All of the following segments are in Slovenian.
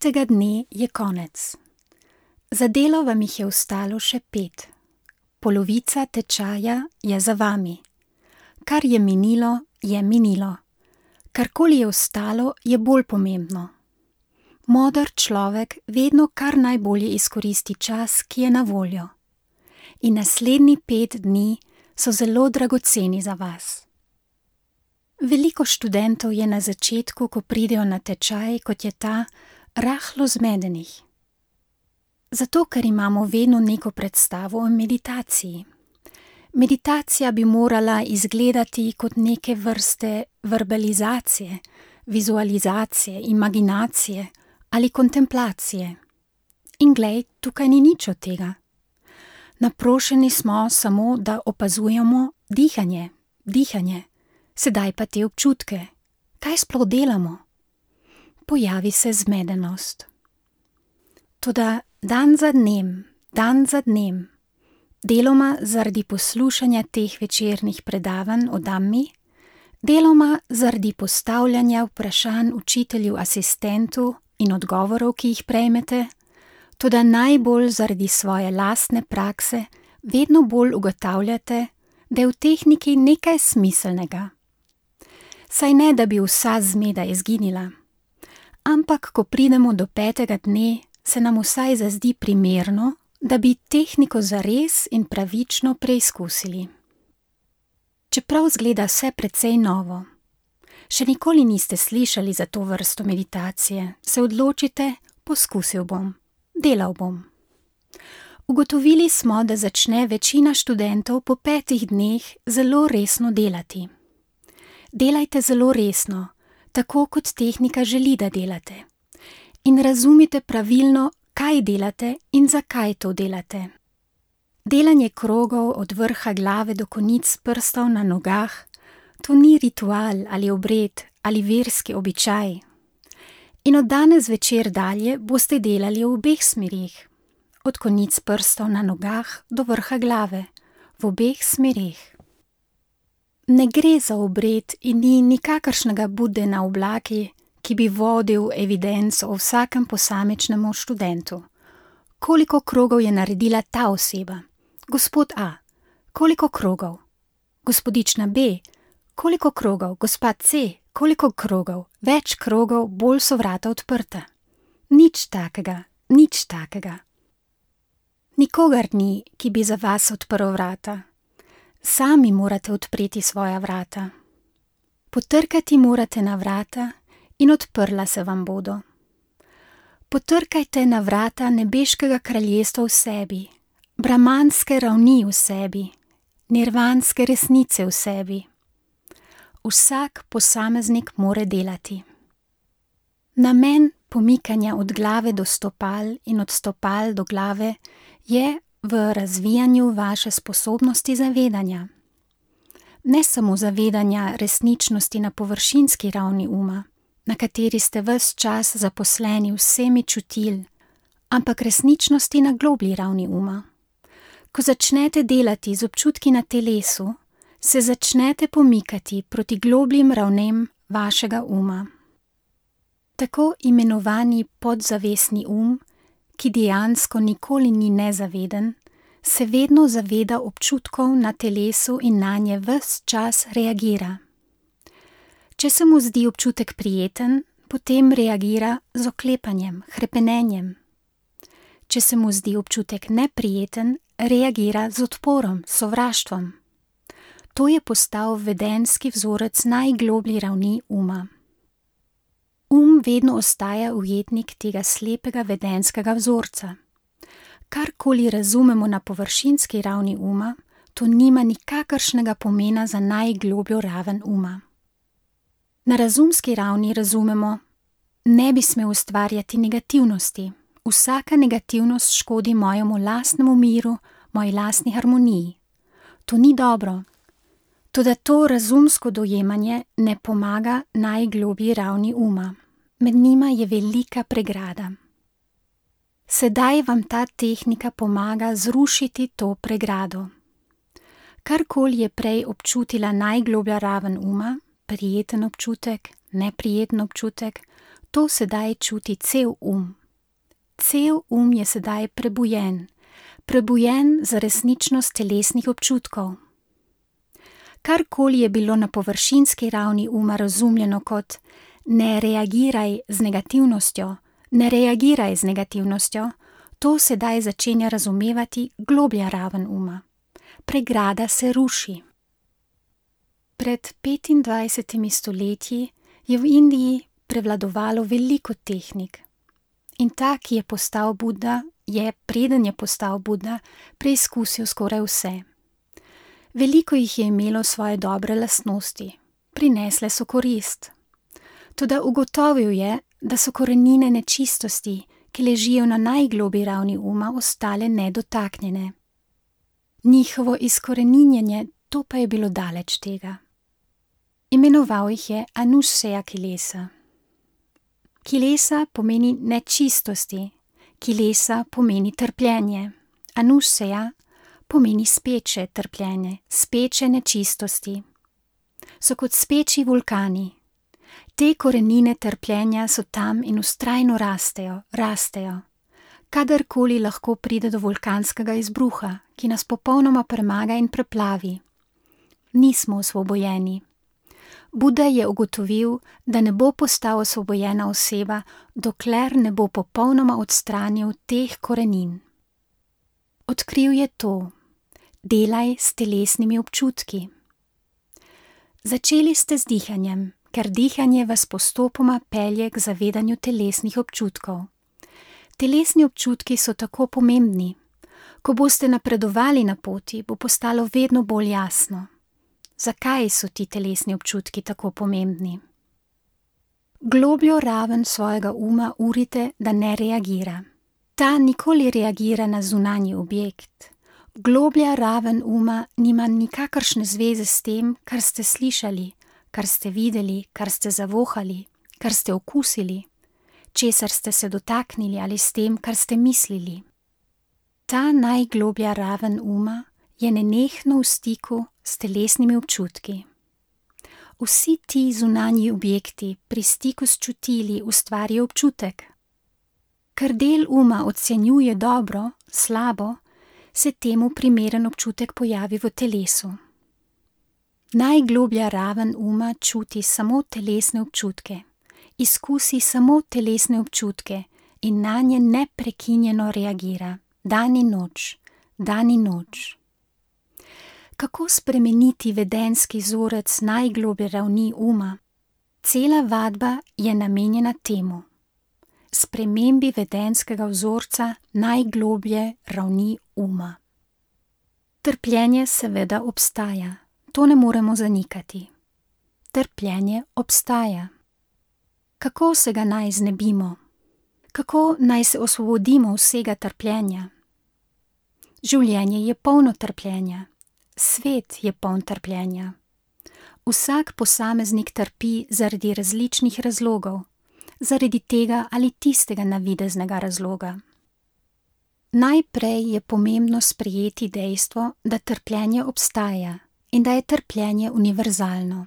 5. dne je konec. Za delo vam jih je ostalo še 5. Polovica tečaja je za vami. Kar je minilo, je minilo. Karkoli je ostalo, je bolj pomembno. Moder človek vedno kar najbolje izkoristi čas, ki je na voljo. In naslednji 5 dni so zelo dragoceni za vas. Veliko študentov je na začetku, ko pridejo na tečaj, kot je ta, rahlo zmedenih. Zato, ker imamo vedno neko predstavo o meditaciji. Meditacija bi morala izgledati kot neke vrste verbalizacije, vizualizacije, imaginacije ali kontemplacije. In glej, tukaj ni nič od tega. Naprošeni smo samo, da opazujemo dihanje, sedaj pa te občutke. Kaj sploh delamo? Pojavi se zmedenost. Toda dan za dnem, deloma zaradi poslušanja teh večernih predavanj o Dhammi, deloma zaradi postavljanja vprašanj učitelju asistentu in odgovorov, ki jih prejmete, toda najbolj zaradi svoje lastne prakse vedno bolj ugotavljate, da je v tehniki nekaj smiselnega. Saj ne, da bi vsa zmeda izginila, ampak ko pridemo do 5. dne, se nam vsaj zazdi primerno, da bi tehniko zares in pravično preizkusili. Čeprav zgleda vse precej novo, še nikoli niste slišali za to vrsto meditacije, se odločite, poskusil bom, delal bom. Ugotovili smo, da začne večina študentov po 5 dneh zelo resno delati. Delajte zelo resno, tako kot tehnika želi, da delate. In razumite pravilno, kaj delate in zakaj to delate. Delanje krogov od vrha glave do konic prstov na nogah, to ni ritual ali obred ali verski običaj. In od danes večer dalje boste delali v obeh smerih, od konic prstov na nogah do vrha glave, v obeh smerih. Ne gre za obred in ni nikakršnega Bude na oblaki, ki bi vodil evidenco o vsakem posamičnemu študentu. Koliko krogov je naredila ta oseba? Gospod A. Koliko krogov? Gospodična B. Koliko krogov? Gospa C. Koliko krogov? Več krogov, bolj so vrata odprta. Nič takega. Nikogar ni, ki bi za vas odprl vrata. Sami morate odpreti svoja vrata. Potrkati morate na vrata in odprla se vam bodo. Potrkajte na vrata nebeškega kraljestva v sebi, brahmanske ravni v sebi, nirvanske resnice v sebi. Vsak posameznik more delati. Namen pomikanja od glave do stopal in od stopal do glave je v razvijanju vaše sposobnosti zavedanja. Ne samo zavedanja resničnosti na površinski ravni uma, na kateri ste ves čas zaposleni vsemi čutil, ampak resničnosti na globlji ravni uma. Ko začnete delati z občutki na telesu, se začnete pomikati proti globljim ravnem vašega uma. Tako imenovani podzavestni ki dejansko nikoli ni nezaveden, se vedno zaveda občutkov na telesu in nanje ves čas reagira. Če se mu zdi občutek prijeten, potem reagira z oklepanjem, hrepenenjem. Če se mu zdi občutek neprijeten, reagira z odporom, sovraštvom. To je postal vedenski vzorec najgloblji ravni uma. Vedno ostaja ujetnik tega slepega vedenskega vzorca. Karkoli razumemo na površinski ravni uma, to nima nikakršnega pomena za najglobljo raven uma. Na razumski ravni razumemo, ne bi smel ustvarjati negativnosti. Vsaka negativnost škodi mojemu lastnemu miru, moji lastni harmoniji. To ni dobro. Toda to razumsko dojemanje ne pomaga najgloblji ravni uma. Med njima je velika pregrada. Sedaj vam ta tehnika pomaga zrušiti to pregrado. Karkoli je prej občutila najgloblja raven uma, prijeten občutek, neprijeten občutek, To sedaj čuti cel Cel je sedaj prebujen za resničnost telesnih občutkov. Karkoli je bilo na površinski ravni uma razumljeno kot ne reagiraj z negativnostjo, to sedaj začenja razumevati globlja raven uma. Pregrada se ruši. Pred 25 stoletji je v Indiji prevladovalo veliko tehnik. In ta, ki je postal Buda, preden je postal Buda, preizkusil skoraj vse. Veliko jih je imelo svoje dobre lastnosti, prinesle so korist. Toda ugotovil je, da so korenine nečistosti, ki ležijo na najgloblji ravni uma, ostale nedotaknjene. Njihovo izkoreninjenje, to pa je bilo daleč tega. Imenoval jih je Anussaya kilesa. Kilesa pomeni nečistosti, kilesa pomeni trpljenje, Anussaya pomeni speče trpljenje, speče nečistosti. So kot speči vulkani. Te korenine trpljenja so tam in vztrajno rastejo. Kadarkoli lahko pride do vulkanskega izbruha, ki nas popolnoma premaga in preplavi. Nismo osvobojeni. Buda je ugotovil, da ne bo postal osvobojena oseba, dokler ne bo popolnoma odstranil teh korenin. Odkril je to. Delaj s telesnimi občutki. Začeli ste z dihanjem, ker dihanje vas postopoma pelje k zavedanju telesnih občutkov. Telesni občutki so tako pomembni. Ko boste napredovali na poti, bo postalo vedno bolj jasno. Zakaj so ti telesni občutki tako pomembni? Globljo raven svojega uma urite, da ne reagira. Ta nikoli reagira na zunanji objekt. Globlja raven uma nima nikakršne zveze s tem, kar ste slišali, kar ste videli, kar ste zavohali, kar ste okusili, česar ste se dotaknili ali s tem, kar ste mislili. Ta najgloblja raven uma je nenehno v stiku s telesnimi občutki. Vsi ti zunanji objekti pri stiku s čutili ustvarijo občutek. Ker del uma ocenjuje dobro, slabo, se temu primeren občutek pojavi v telesu. Najgloblja raven uma čuti samo telesne občutke, izkusi samo telesne občutke in nanje neprekinjeno reagira, dan in noč. Kako spremeniti vedenski vzorec najgloblje ravni uma? Cela vadba je namenjena temu. Spremembi vedenskega vzorca najgloblje ravni uma. Trpljenje seveda obstaja, to ne moremo zanikati. Trpljenje obstaja. Kako se ga naj znebimo? Kako naj se osvobodimo vsega trpljenja? Življenje je polno trpljenja, svet je poln trpljenja. Vsak posameznik trpi zaradi različnih razlogov, zaradi tega ali tistega navideznega razloga. Najprej je pomembno sprejeti dejstvo, da trpljenje obstaja in da je trpljenje univerzalno.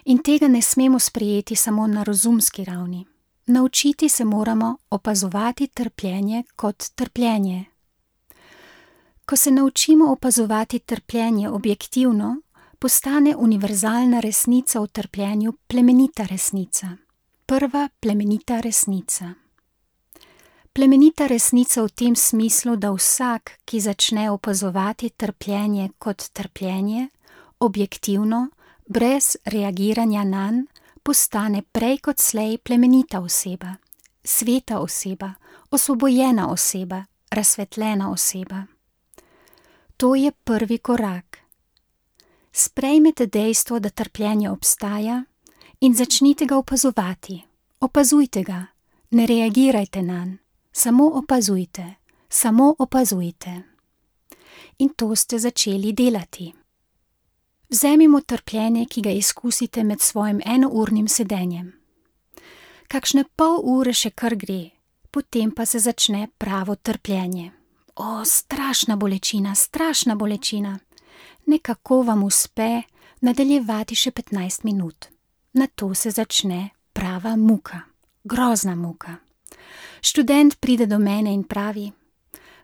In tega ne smemo sprejeti samo na razumski ravni. Naučiti se moramo opazovati trpljenje kot trpljenje. Ko se naučimo opazovati trpljenje objektivno, postane univerzalna resnica o trpljenju plemenita resnica. Prva plemenita resnica. Plemenita resnica v tem smislu, da vsak, ki začne opazovati trpljenje kot trpljenje, objektivno, brez reagiranja nanj, postane prej kot slej plemenita oseba, sveta oseba, osvobojena oseba, razsvetljena oseba. To je prvi korak. Sprejmete dejstvo, da trpljenje obstaja in začnite ga opazovati. Opazujte ga, ne reagirajte nanj, samo opazujte. In to ste začeli delati. Vzemimo trpljenje, ki ga izkusite med svojim enournim sedenjem. Kakšne pol ure še kar gre, potem pa se začne pravo trpljenje. O, strašna bolečina. Nekako vam uspe nadaljevati še 15 minut. Nato se začne prava muka. grozna muka. Študent pride do mene in pravi: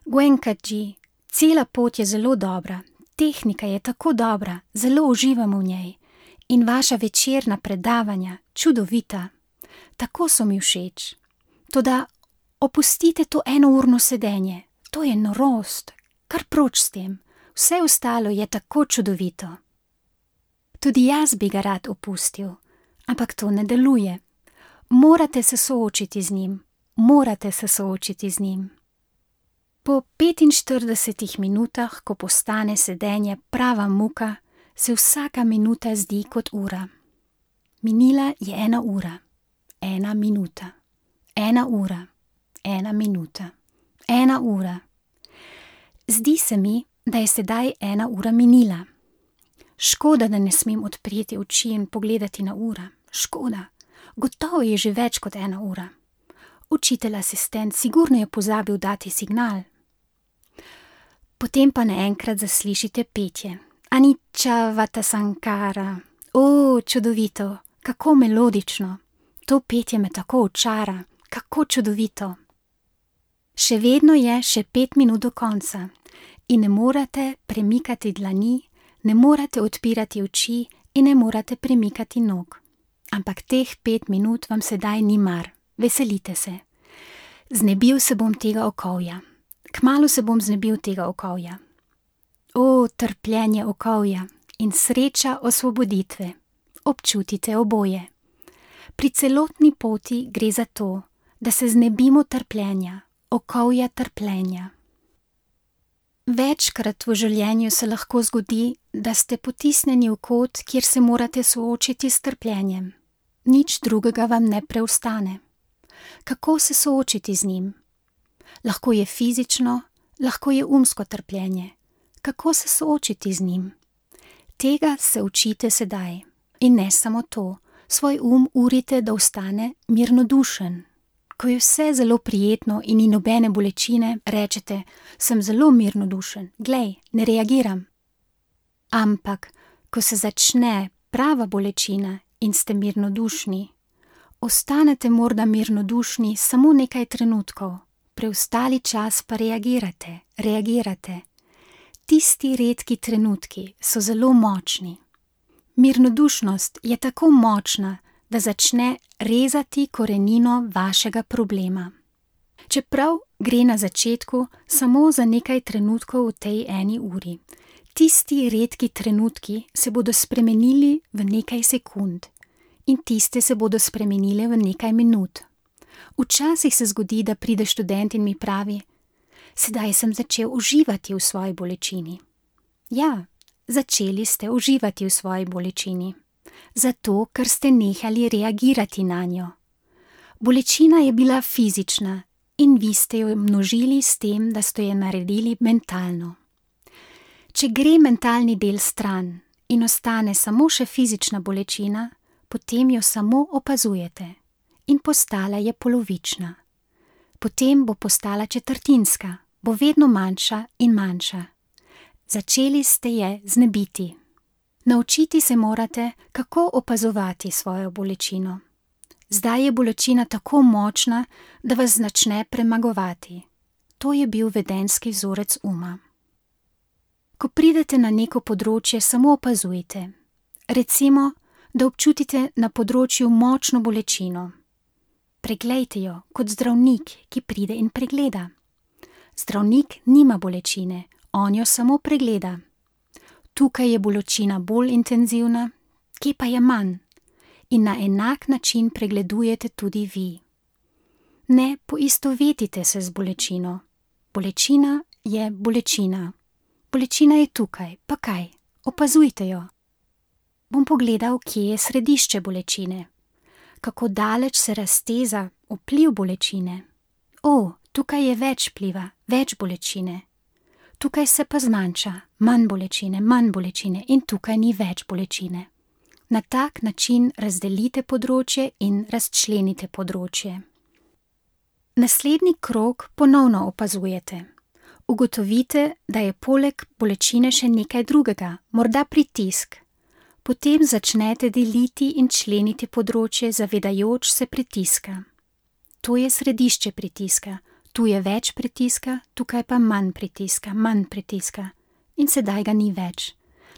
Gwenkaji, cela pot je zelo dobra, tehnika je tako dobra, zelo uživam v njej in vaša večerna predavanja, čudovita. Tako so mi všeč. Toda opustite to enourno sedenje, to je norost, kar proč s tem, vse ostalo je tako čudovito. Tudi jaz bi ga rad opustil, ampak to ne deluje. Morate se soočiti z njim, morate se soočiti z njim. Po 45 minutah, ko postane sedenje prava muka, se vsaka minuta zdi kot ura. Minila je 1 ura, 1 minuta, 1 ura, 1 minuta, 1 ura. Zdi se mi, da je sedaj 1 ura minila. Škoda, da ne smem odpreti oči in pogledati na uro. Škoda, gotovo je že več kot 1 ura. Učitelj asistent sigurno je pozabil dati signal. Potem pa naenkrat zaslišite petje. Anicca Vatasankara. O, čudovito, kako melodično. To petje me tako očara, kako čudovito. Še vedno je še 5 minut do konca in ne morate premikati dlani, ne morate odpirati oči in ne morate premikati nog. Ampak teh 5 minut vam sedaj ni mar, veselite se. Znebil se bom tega okovja. Kmalu se bom znebil tega okovja. O, trpljenje okovja in sreča osvoboditve. Občutite oboje. Pri celotni poti gre za to, da se znebimo trpljenja, okovja trpljenja. Večkrat v življenju se lahko zgodi, da ste potisnjeni v kot, kjer se morate soočiti s trpljenjem. Nič drugega vam ne preostane. Kako se soočiti z njim? Lahko je fizično, lahko je umsko trpljenje. Kako se soočiti z njim? Tega se učite sedaj. In ne samo to, svoj urite, da ostane mirnodušen. Ko je vse zelo prijetno in ni nobene bolečine, rečete: sem zelo mirnodušen, glej, ne reagiram. Ampak, ko se začne prava bolečina in ste mirnodušni, ostanete morda mirnodušni samo nekaj trenutkov, preostali čas pa reagirate. Tisti redki trenutki so zelo močni. Mirnodušnost je tako močna, da začne rezati korenino vašega problema. Čeprav gre na začetku samo za nekaj trenutkov v tej 1 uri, tisti redki trenutki se bodo spremenili v nekaj sekund in tiste se bodo spremenile v nekaj minut. Včasih se zgodi, da pride študent in mi pravi: sedaj sem začel uživati v svoji bolečini. Ja, začeli ste uživati v svoji bolečini. Zato, ker ste nehali reagirati na njo. Bolečina je bila fizična in vi ste jo množili s tem, da ste jo naredili mentalno. Če gre mentalni del stran in ostane samo še fizična bolečina, potem jo samo opazujete in postala je polovična. Potem bo postala četrtinska, bo vedno manjša in manjša. Začeli ste je znebiti. Naučiti se morate, kako opazovati svojo bolečino. Zdaj je bolečina tako močna, da vas začne premagovati. To je bil vedenjski vzorec uma. Ko pridete na neko področje, samo opazujte. Recimo, da občutite na področju močno bolečino. Preglejte jo kot zdravnik, ki pride in pregleda. Zdravnik nima bolečine, on jo samo pregleda. Tukaj je bolečina bolj intenzivna, kje pa je manj? In na enak način pregledujete tudi vi. Ne poistovetite se z bolečino. Bolečina je bolečina. Bolečina je tukaj, pa kaj? Opazujte jo. Bom pogledal, kje je središče bolečine. Kako daleč se razteza vpliv bolečine. O, tukaj je več vpliva, več bolečine. Tukaj se pa zmanjša, manj bolečine in tukaj ni več bolečine. Na tak način razdelite področje in razčlenite področje. Naslednji krog ponovno opazujete. Ugotovite, da je poleg bolečine še nekaj drugega, morda pritisk. Potem začnete deliti in členiti področje, zavedajoč se pritiska. to je središče pritiska, tu je več pritiska, tukaj pa manj pritiska in sedaj ga ni več.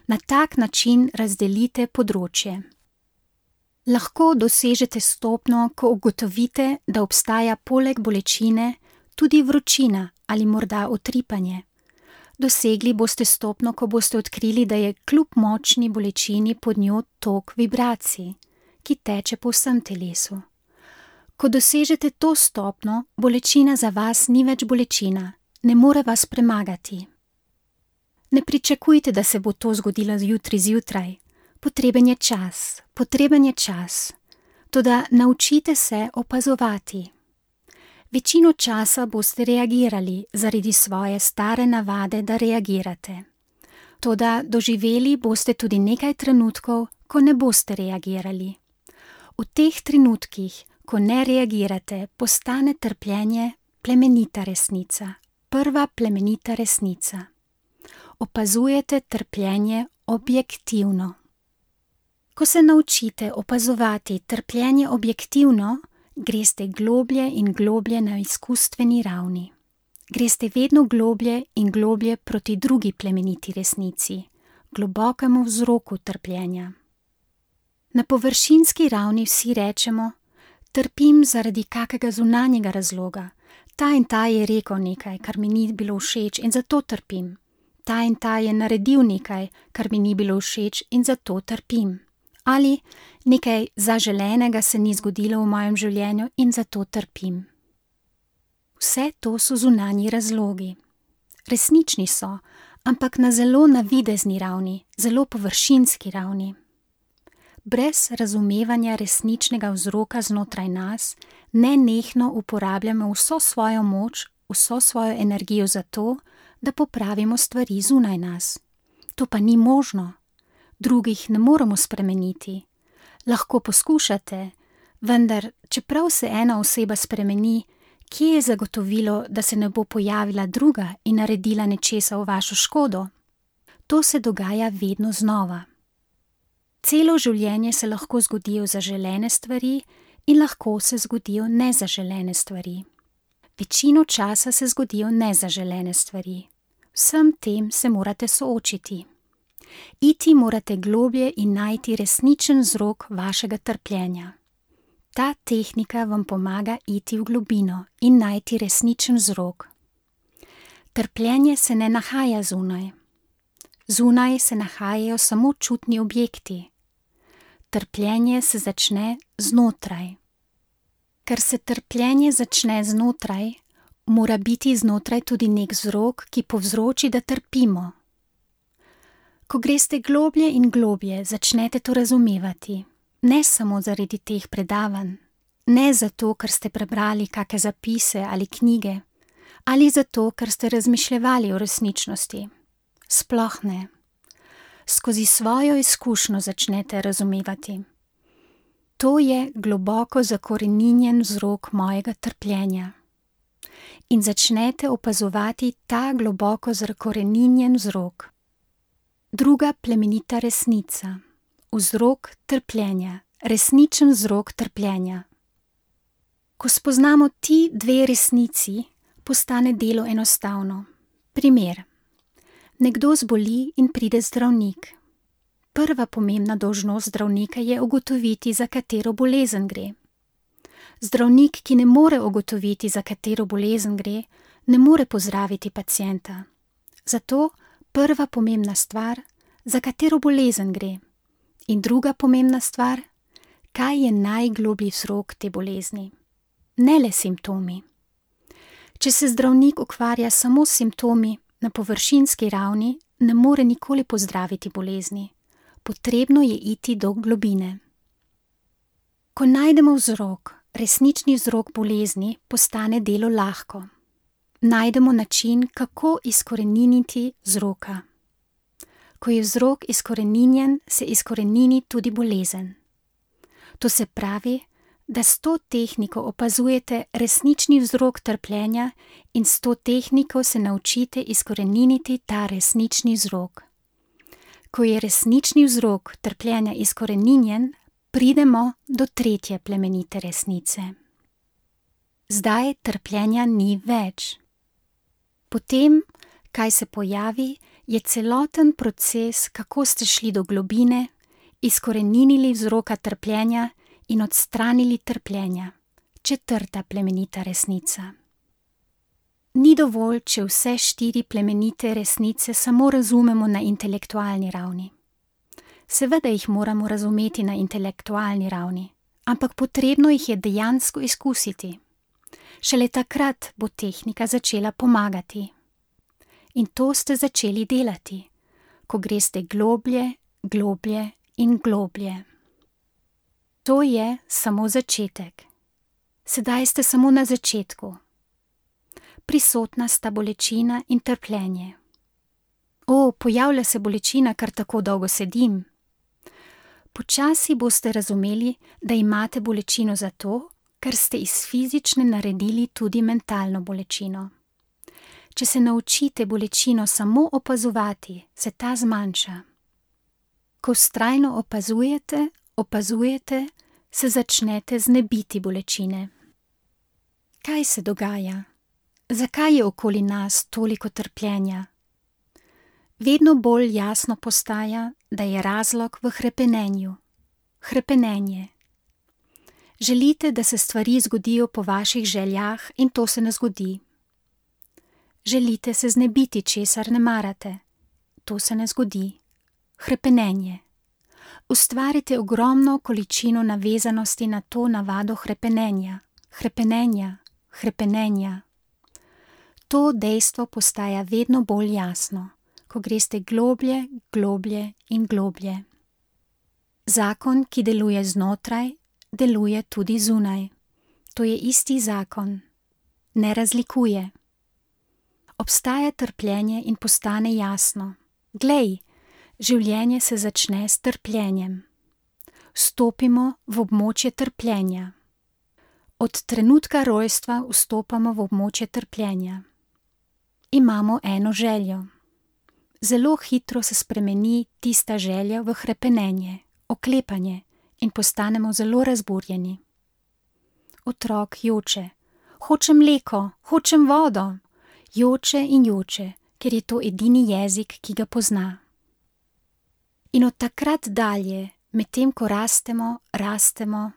Na tak način razdelite področje. Lahko dosežete stopnjo, ko ugotovite, da obstaja poleg bolečine tudi vročina ali morda utripanje. Dosegli boste stopnjo, ko boste odkrili, da je kljub močni bolečini pod njo tok vibracij, ki teče po vsem telesu. Ko dosežete to stopnjo, bolečina za vas ni več bolečina, ne more vas premagati. Ne pričakujte, da se bo to zgodilo jutri zjutraj. Potreben je čas. Toda naučite se opazovati. Večino časa boste reagirali zaradi svoje stare navade, da reagirate. Toda doživeli boste tudi nekaj trenutkov, ko ne boste reagirali. V teh trenutkih, ko ne reagirate, postane trpljenje plemenita resnica, prva plemenita resnica. Opazujete trpljenje objektivno. Ko se naučite opazovati trpljenje objektivno, greste globlje in globlje na izkustveni ravni. Greste vedno globlje in globlje proti drugi plemeniti resnici, globokemu vzroku trpljenja. Na površinski ravni vsi rečemo: trpim zaradi kakega zunanjega razloga, ta in ta je rekel nekaj, kar mi ni bilo všeč in zato trpim. Ta in ta je naredil nekaj, kar mi ni bilo všeč in zato trpim. Ali nekaj zaželenega se ni zgodilo v mojem življenju in zato trpim. Vse to so zunanji razlogi. Resnični so, ampak na zelo navidezni ravni, zelo površinski ravni. Brez razumevanja resničnega vzroka znotraj nas, nenehno uporabljamo vso svojo moč, vso svojo energijo za to, da popravimo stvari zunaj nas. To pa ni možno. Drugih ne moremo spremeniti. Lahko poskušate, vendar, čeprav se ena oseba spremeni, kje je zagotovilo, da se ne bo pojavila druga in naredila nečesa v vašo škodo? To se dogaja vedno znova. Celo življenje se lahko zgodijo zaželene stvari in lahko se zgodijo nezaželene stvari. Večino časa se zgodijo nezaželene stvari. Vsem tem se morate soočiti. Iti morate globlje in najti resničen vzrok vašega trpljenja. Ta tehnika vam pomaga iti v globino in najti resničen vzrok. Trpljenje se ne nahaja zunaj. Zunaj se nahajajo samo čutni objekti. Trpljenje se začne znotraj. Ker se trpljenje začne znotraj, mora biti znotraj tudi nek vzrok, ki povzroči, da trpimo. Ko greste globlje in globlje, začnete to razumevati. Ne samo zaradi teh predavanj, ne zato, ker ste prebrali kakšne zapise ali knjige, ali zato, ker ste razmišljali o resničnosti. Sploh ne. Skozi svojo izkušnjo začnete razumevati. To je globoko zakoreninjen vzrok mojega trpljenja. In začnete opazovati ta globoko zakoreninjen vzrok. Druga plemenita resnica. Vzrok trpljenja. Resničen vzrok trpljenja. Ko spoznamo ti dve resnici, postane delo enostavno. Primer. Nekdo zboli in pride zdravnik. Prva pomembna dolžnost zdravnika je ugotoviti, za katero bolezen gre. Zdravnik, ki ne more ugotoviti, za katero bolezen gre, ne more pozdraviti pacienta. Zato prva pomembna stvar, za katero bolezen gre. In druga pomembna stvar, kaj je najgloblji vzrok te bolezni. Ne le simptomi. Če se zdravnik ukvarja samo s simptomi na površinski ravni, ne more nikoli pozdraviti bolezni. Potrebno je iti do globine. Ko najdemo vzrok, resnični vzrok bolezni, postane delo lahko. Najdemo način, kako izkoreniniti vzroka. Ko je vzrok izkoreninjen, se izkorenini tudi bolezen. To se pravi, da s to tehniko opazujete resnični vzrok trpljenja in s to tehniko se naučite izkoreniniti ta resnični vzrok. Ko je resnični vzrok trpljenja izkoreninjen, pridemo do tretje plemenite resnice. Zdaj trpljenja ni več. Potem, kaj se pojavi, je celoten proces, kako ste šli do globine, izkoreninili vzroka trpljenja in odstranili trpljenja. 4. plemenita resnica. Ni dovolj, če vse 4 plemenite resnice samo razumemo na intelektualni ravni. Seveda jih moramo razumeti na intelektualni ravni, ampak potrebno jih je dejansko izkusiti. Šele takrat bo tehnika začela pomagati. In to ste začeli delati, ko greste globlje, globlje in globlje. To je samo začetek. Sedaj ste samo na začetku. Prisotna sta bolečina in trpljenje. Pojavlja se bolečina, ker tako dolgo sedim. Počasi boste razumeli, da imate bolečino zato, ker ste iz fizične naredili tudi mentalno bolečino. Če se naučite bolečino samo opazovati, se ta zmanjša. Ko vztrajno opazujete, se začnete znebiti bolečine. Kaj se dogaja? Zakaj je okoli nas toliko trpljenja? Vedno bolj jasno postaja, da je razlog v hrepenenju. Hrepenenje. Želite, da se stvari zgodijo po vaših željah in to se ne zgodi. Želite se znebiti česar ne marate. To se ne zgodi. Hrepenenje. Ustvarite ogromno količino navezanosti na to navado hrepenenja. Hrepenenja. To dejstvo postaja vedno bolj jasno, ko greste globlje, globlje in globlje. Zakon, ki deluje znotraj, deluje tudi zunaj. To je isti zakon. Ne razlikuje. Obstaja trpljenje in postane jasno. Glej, življenje se začne s trpljenjem. Vstopimo v območje trpljenja. Od trenutka rojstva vstopamo v območje trpljenja. Imamo eno željo. Zelo hitro se spremeni tista želja v hrepenenje, oklepanje in postanemo zelo razburjeni. Otrok joče. Hočem mleko, hočem vodo. Joče in joče, ker je to edini jezik, ki ga pozna. In od takrat dalje, medtem ko rastemo,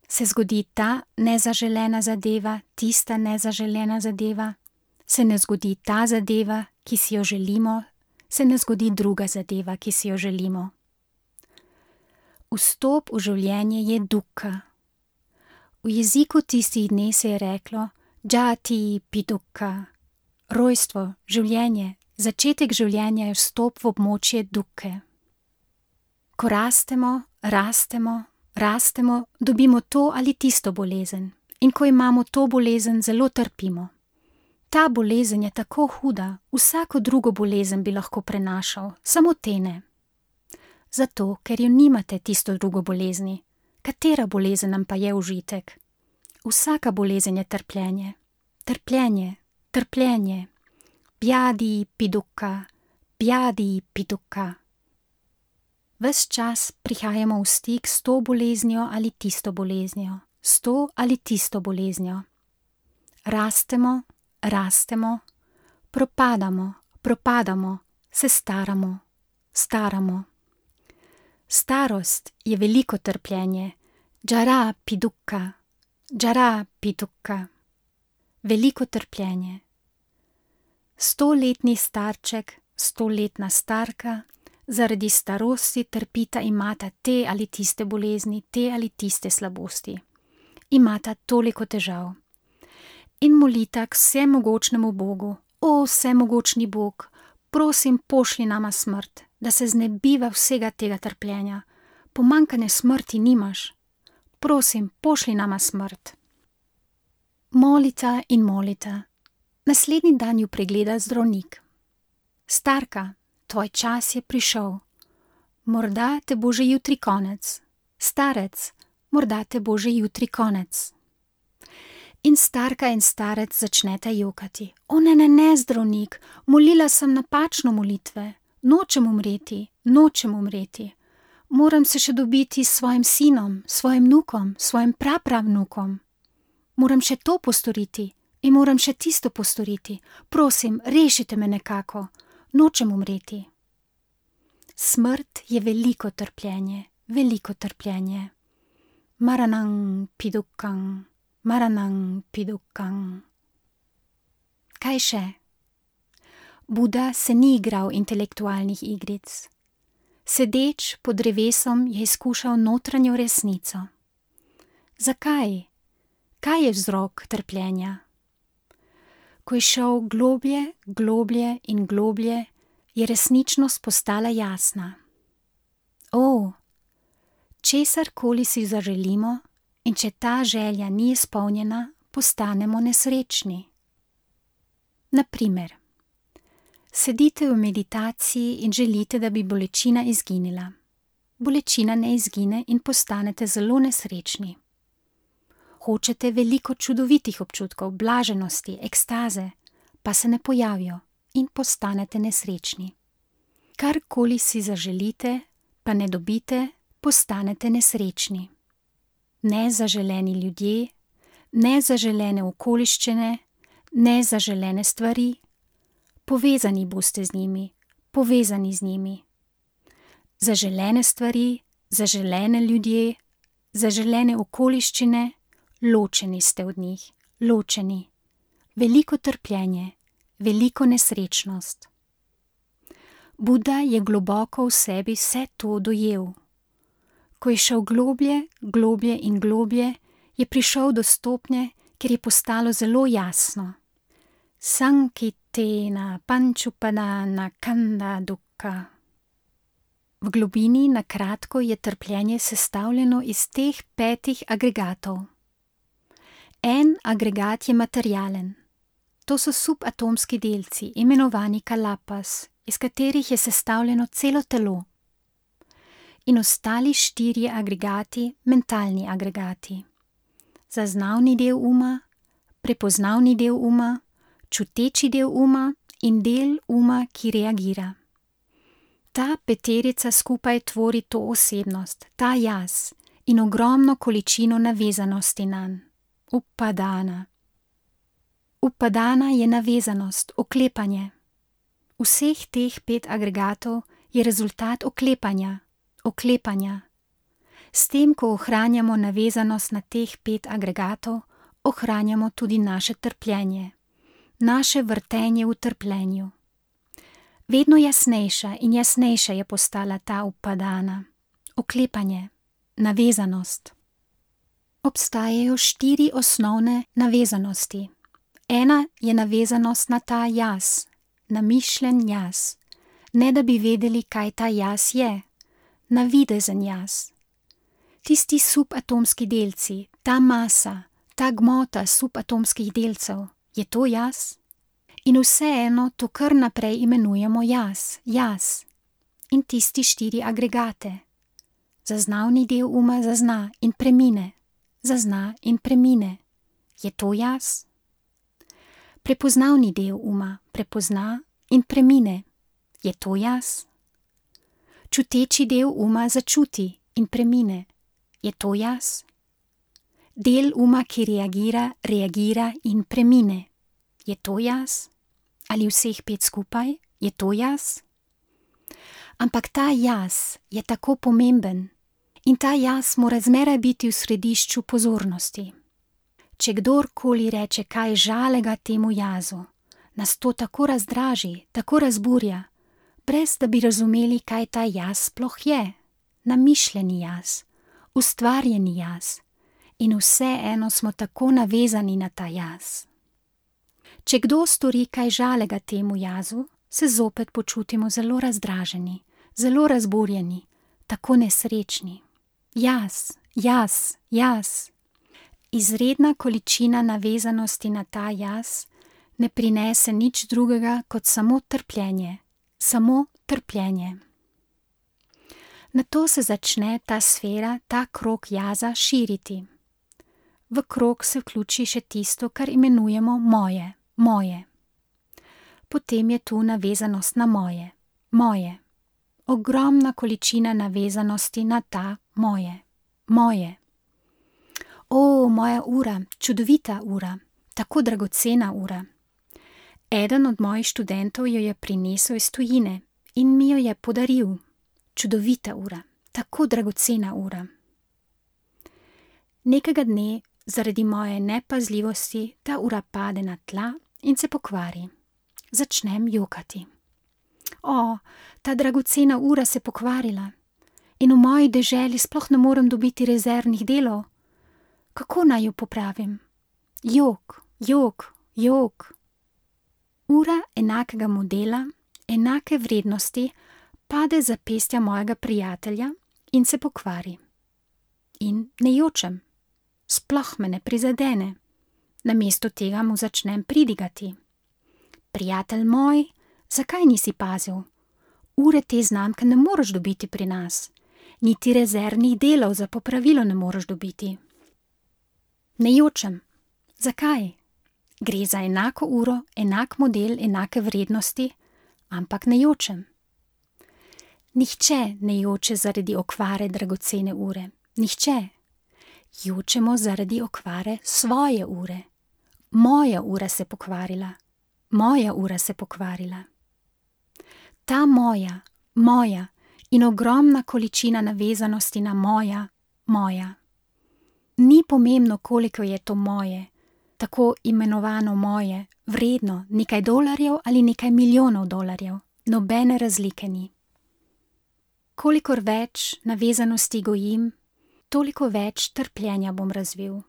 se zgodi ta nezaželena zadeva, tista nezaželena zadeva, se ne zgodi ta zadeva, ki si jo želimo, se ne zgodi druga zadeva, ki si jo želimo. Vstop v življenje je dukkha. V jeziku tistih dni se je reklo džati pi dukkha. Rojstvo, življenje, začetek življenja je vstop v območje dukkhe. Ko rastemo, dobimo to ali tisto bolezen. In ko imamo to bolezen, zelo trpimo. Ta bolezen je tako huda, vsako drugo bolezen bi lahko prenašal, samo te ne. Zato, ker jo nimate tisto drugo bolezni. Katera bolezen nam pa je užitek? Vsaka bolezen je trpljenje. Trpljenje. Bjadi pi dukkha. Ves čas prihajamo v stik s to boleznijo ali tisto boleznijo, s to ali tisto boleznijo. Rastemo, propadamo, se staramo. Starost je veliko trpljenje, džara pi dukkha. Veliko trpljenje. 100-letni starček, 100-letna starka, zaradi starosti trpita, imata te ali tiste bolezni, te ali tiste slabosti. Imata toliko težav. In molita k vsemogočnemu Bogu, vsemogočni Bog, prosim, pošlji nama smrt, da se znebiva vsega tega trpljenja. Pomanjkanje smrti nimaš. Prosim, pošlji nama smrt. Molita in molita. Naslednji dan ju pregleda zdravnik. Starka, tvoj čas je prišel. Morda te bo že jutri konec. Starec, morda te bo že jutri konec. In starka in starec začneta jokati. Ne, zdravnik, molila sem napačno molitve. Nočem umreti. Moram se še dobiti s svojim sinom, svojim vnukom, svojim prapravnukom. Moram še to postoriti in moram še tisto postoriti. Prosim, rešite me nekako. Nočem umreti. Smrt je veliko trpljenje, veliko trpljenje. Maranang pidukang, maranang pidukang. Kaj še? Buda se ni igral intelektualnih igric. Sedeč pod drevesom je izkušal notranjo resnico. Zakaj? Kaj je vzrok trpljenja? Ko je šel globlje, globlje in globlje, je resničnost postala jasna. Česarkoli si zaželimo, in če ta želja ni izpolnjena, postanemo nesrečni. Na primer, sedite v meditaciji in želite, da bi bolečina izginila. Bolečina ne izgine in postanete zelo nesrečni. Hočete veliko čudovitih občutkov, blaženosti, ekstaze, pa se ne pojavijo in postanete nesrečni. Karkoli si zaželite, pa ne dobite, postanete nesrečni. Nezaželeni ljudje, nezaželene okoliščine, nezaželene stvari, povezani boste z njimi, povezani z njimi. Zaželene stvari, zaželene ljudje, zaželene okoliščine, ločeni ste od njih, ločeni. Veliko trpljenje, veliko nesrečnost. Buda je globoko v sebi vse to dojel. Ko je šel globlje, globlje in globlje, je prišel do stopnje, kjer je postalo zelo jasno. Sankitena pančupadana kanda dukkha. V globini na kratko je trpljenje sestavljeno iz teh 5 agregatov. En agregat je materialen. To so subatomski delci, imenovani kalapas, iz katerih je sestavljeno celo telo. In ostali 4 agregati, mentalni agregati. Zaznavni del uma, prepoznavni del uma, čuteči del uma in del uma, ki reagira. Ta 5 skupaj tvori to osebnost, ta jaz in ogromno količino navezanosti nanj. Upadana. Upadana je navezanost, oklepanje. Vseh teh 5 agregatov je rezultat oklepanja. S tem, ko ohranjamo navezanost na teh 5 agregatov, ohranjamo tudi naše trpljenje, naše vrtenje v trpljenju. Vedno jasnejša in jasnejša je postala ta upadana, oklepanje, navezanost. Obstajajo 4 osnovne navezanosti. Ena je navezanost na ta jaz, na mišljen jaz, ne da bi vedeli, kaj ta jaz je, navidezen jaz. Tisti subatomski delci, ta masa, ta gmota subatomskih delcev, je to jaz? In vseeno to kar naprej imenujemo jaz. In tisti 4 agregate. Zaznavni del uma zazna in premine. Zazna in premine. Je to jaz? Prepoznavni del uma prepozna in premine. Je to jaz? Čuteči del uma začuti in premine. Je to jaz? Del uma, ki reagira in premine. Je to jaz? Ali vseh 5 skupaj? Je to jaz? Ampak ta jaz je tako pomemben in ta jaz mora zmeraj biti v središču pozornosti. Če kdorkoli reče kaj žalega temu jazu, nas to tako razdraži, tako razburja, brez da bi razumeli, kaj ta jaz sploh je. Namišljeni jaz, ustvarjeni jaz in vseeno smo tako navezani na ta jaz. Če kdo stori kaj žalega temu jazu, se zopet počutimo zelo razdraženi, zelo razburjeni, tako nesrečni. Jaz. Izredna količina navezanosti na ta jaz ne prinese nič drugega kot samo trpljenje. Nato se začne ta sfera, ta krog jaza širiti. V krog se vključi še tisto, kar imenujemo moje. Potem je tu navezanost na moje. Ogromna količina navezanosti na ta moje. O, moja ura, čudovita ura, tako dragocena ura. Eden od mojih študentov jo je prinesel iz tujine in mi jo je podaril. Čudovita ura, tako dragocena ura. Nekega dne, zaradi moje nepazljivosti, ta ura pade na tla in se pokvari. Začnem jokati. O, ta dragocena ura se pokvarila in v moji deželi sploh ne morem dobiti rezervnih delov. Kako naj jo popravim? Jok, jok, jok. Ura enakega modela, enake vrednosti, pade z zapestja mojega prijatelja in se pokvari. In ne jočem, sploh me ne prizadene. Namesto tega mu začnem pridigati. Prijatelj moj, zakaj nisi pazil? Ure te znamke ne moreš dobiti pri nas, niti rezervnih delov za popravilo ne moreš dobiti. Ne jočem. Zakaj? Gre za enako uro, enak model, enake vrednosti, ampak ne jočem. Nihče ne joče zaradi okvare dragocene ure. Nihče. Jočemo zaradi okvare svoje ure. Moja ura se pokvarila. Moja ura se pokvarila. Ta moja in ogromna količina navezanosti na moja. Ni pomembno, koliko je to moje, tako imenovano moje, vredno nekaj dolarjev ali nekaj milijonov dolarjev, nobene razlike ni. Kolikor več navezanosti gojim, toliko več trpljenja bom razvil.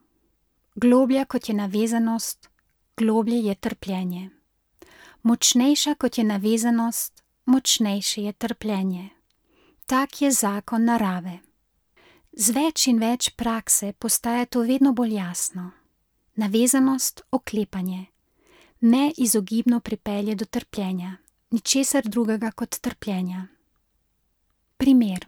Globlja kot je navezanost, globlje je trpljenje. Močnejša kot je navezanost, močnejše je trpljenje. Tak je zakon narave. Z več in več prakse postaja to vedno bolj jasno. Navezanost, oklepanje, neizogibno pripelje do trpljenja, ničesar drugega kot trpljenja. Primer.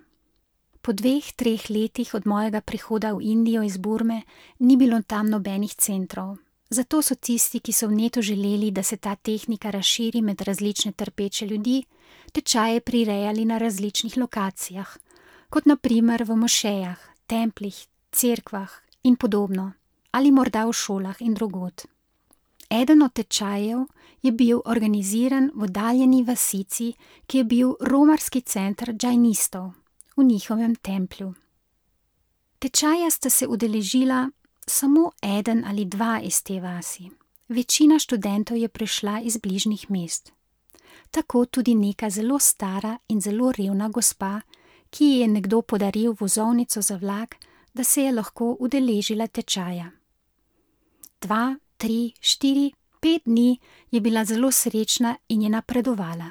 Po 2-3 letih od mojega prihoda v Indijo iz Burme ni bilo tam nobenih centrov. Zato so tisti, ki so v netu želeli, da se ta tehnika razširi med različne trpeče ljudi, tečaje prirejali na različnih lokacijah, kot na primer v mošejah, templih, cerkvah in podobno, ali morda v šolah in drugod. Eden od tečajev je bil organiziran v oddaljeni vasici, ki je bil romarski center džajnistov v njihovem templju. Tečaja sta se udeležila samo 1 ali 2 iz te vasi. Večina študentov je prišla iz bližnjih mest. Tako tudi neka zelo stara in zelo revna gospa, ki ji je nekdo podaril vozovnico za vlak, da se je lahko udeležila tečaja. 2, 3, 4, 5 dni je bila zelo srečna in je napredovala.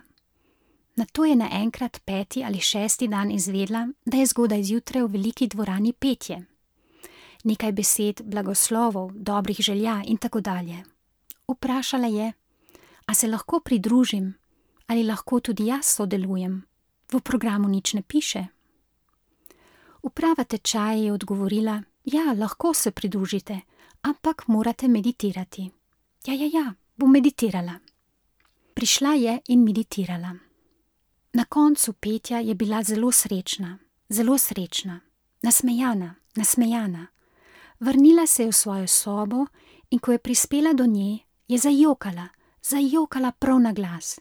Nato je naenkrat 5. ali 6. dan izvedela, da je zgodaj zjutraj v veliki dvorani petje. Nekaj besed, blagoslovov, dobrih želja in tako dalje. Vprašala je, a se lahko pridružim, ali lahko tudi jaz sodelujem. V programu nič ne piše. Uprava tečaja je odgovorila, ja, lahko se pridružite, ampak morate meditirati. Ja, bom meditirala. Prišla je in meditirala. Na koncu petja je bila zelo srečna, nasmejana. Vrnila se je v svojo sobo in ko je prispela do nje, je zajokala prav na glas.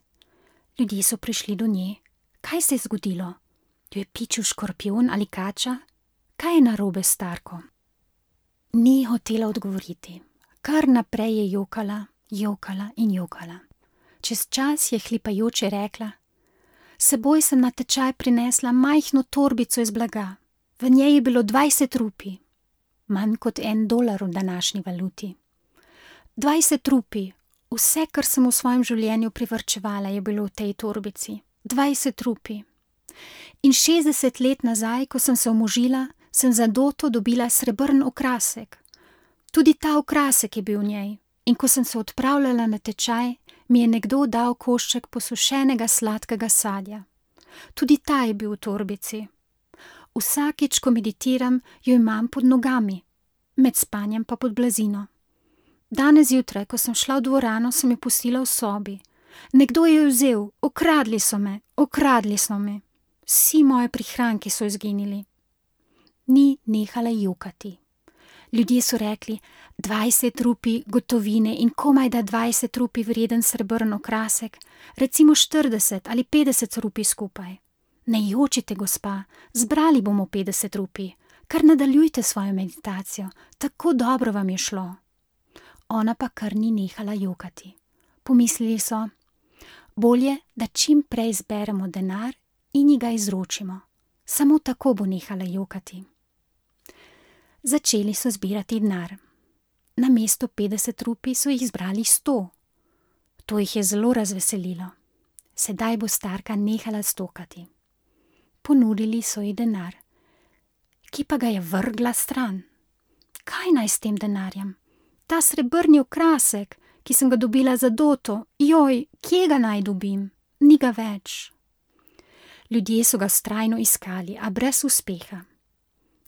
Ljudje so prišli do nje. Kaj se je zgodilo? Jo je pičil škorpion ali kača? Kaj je narobe s starko? Ni hotela odgovoriti. Kar naprej je jokala in jokala. Čez čas je hlipajoče rekla, s seboj sem na tečaj prinesla majhno torbico iz blaga. V njej je bilo 20 rupij. Manj kot $1 v današnji valuti. 20 rupij, vse, kar sem v svojem življenju privarčevala, je bilo v tej torbici. 20 rupij. In 60 let nazaj, ko sem se omožila, sem za doto dobila srebrn okrasek. Tudi ta okrasek je bil v njej. In ko sem se odpravljala na tečaj, mi je nekdo dal košček posušenega sladkega sadja. Tudi ta je bil v torbici. Vsakič, ko meditiram, jo imam pod nogami, med spanjem pa pod blazino. Danes zjutraj, ko sem šla v dvorano, sem jo pustila v sobi. Nekdo je jo vzel, okradli so me. Vsi moji prihranki so izginili. Ni nehala jokati. Ljudje so rekli, 20 rupij gotovine in komaj da 20 rupij vreden srebrn okrasek, recimo 40 ali 50 rupij skupaj. Ne jočite, gospa, zbrali bomo 50 rupij, kar nadaljujte svojo meditacijo, tako dobro vam je šlo. Ona pa kar ni nehala jokati. Pomislili so, bolje, da čim prej zberemo denar in ji ga izročimo. Samo tako bo nehala jokati. Začeli so zbirati denar. Namesto 50 rupij so jih zbrali 100. To jih je zelo razveselilo. Sedaj bo starka nehala stokati. Ponudili so ji denar, ki pa ga je vrgla stran. Kaj naj s tem denarjem? Ta srebrni okrasek, ki sem ga dobila za doto, joj, kje ga naj dobim? Ni ga več. Ljudje so ga vztrajno iskali, a brez uspeha.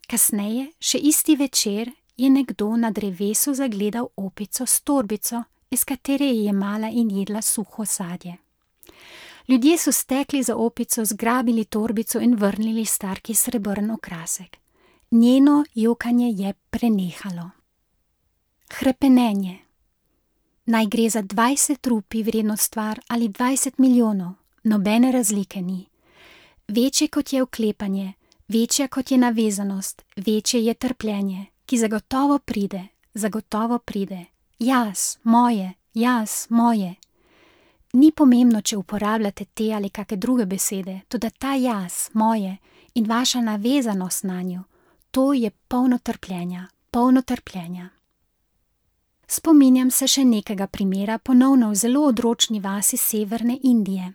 Kasneje, še isti večer, je nekdo na drevesu zagledal opico s torbico, iz katere je jemala in jedla suho sadje. Ljudje so stekli za opico, zgrabili torbico in vrnili starki srebrn okrasek. Njeno jokanje je prenehalo. Hrepenenje. Naj gre za 20 rupij vredno stvar ali 20 milijonov, nobene razlike ni. Večje kot je oklepanje, večja kot je navezanost, večje je trpljenje, ki zagotovo pride, zagotovo pride. Jaz, moje, jaz, moje. Ni pomembno, če uporabljate te ali kakšne druge besede, toda ta jaz, moje in vaša navezanost na njo, to je polno trpljenja, polno trpljenja. Spominjam se še nekega primera, ponovno v zelo odročni vasi severne Indije.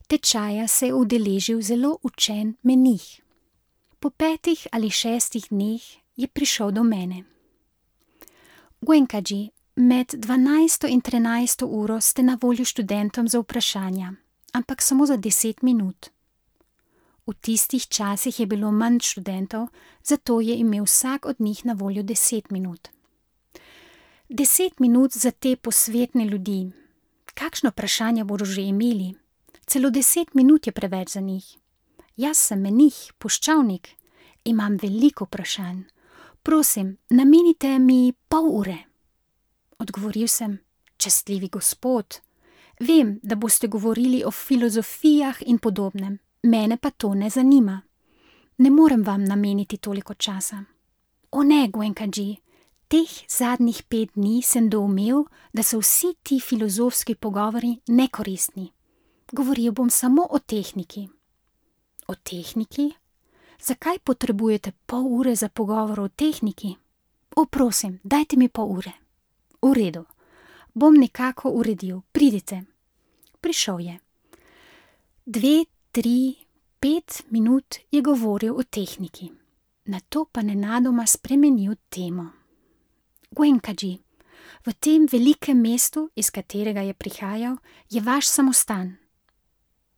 Tečaja se je udeležil zelo učen menih. Po 5 ali 6 dneh je prišel do mene. Goenkaji, med 12. in 13. uro ste na voljo študentom za vprašanja, ampak samo za 10 minut. V tistih časih je bilo manj študentov, zato je imel vsak od njih na voljo 10 minut. 10 minut za te posvetne ljudi. Kakšno vprašanje bodo že imeli? Celo 10 minut je preveč za njih. Jaz sem menih, puščavnik. Imam veliko vprašanj. Prosim, namenite mi pol ure. Odgovoril sem, častljivi gospod. Vem, da boste govorili o filozofijah in podobnem. Mene pa to ne zanima. Ne morem vam nameniti toliko časa. O ne, Goenkaji, teh zadnjih 5 dni sem doumel, da so vsi ti filozofski pogovori nekoristni. Govoril bom samo o tehniki. O tehniki? Zakaj potrebujete pol ure za pogovor o tehniki? O, prosim, dajte mi pol ure. V redu, bom nekako uredil, pridite. Prišel je. 2, 3, 5 minut je govoril o tehniki. Nato pa nenadoma spremenil temo. Goenkaji, v tem velikem mestu, iz katerega je prihajal, je vaš samostan.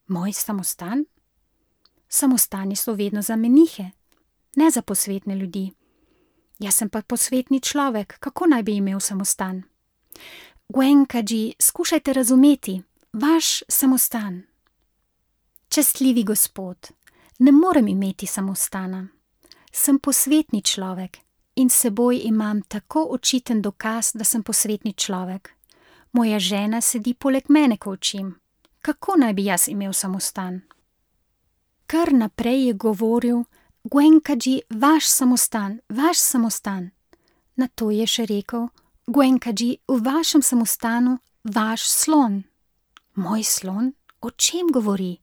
Moj samostan? Samostani so vedno za menihe, ne za posvetne ljudi. Jaz sem pa posvetni človek, kako naj bi imel samostan? Goenkaji, skušajte razumeti, vaš samostan. Častljivi gospod, ne morem imeti samostana. Sem posvetni človek in s seboj imam tako očiten dokaz, da sem posvetni človek. Moja žena sedi poleg mene, ko učim. Kako naj bi jaz imel samostan? Kar naprej je govoril, Goenkaji, vaš samostan, vaš samostan. Nato je še rekel, Goenkaji, v vašem samostanu vaš slon. Moj slon? O čem govori?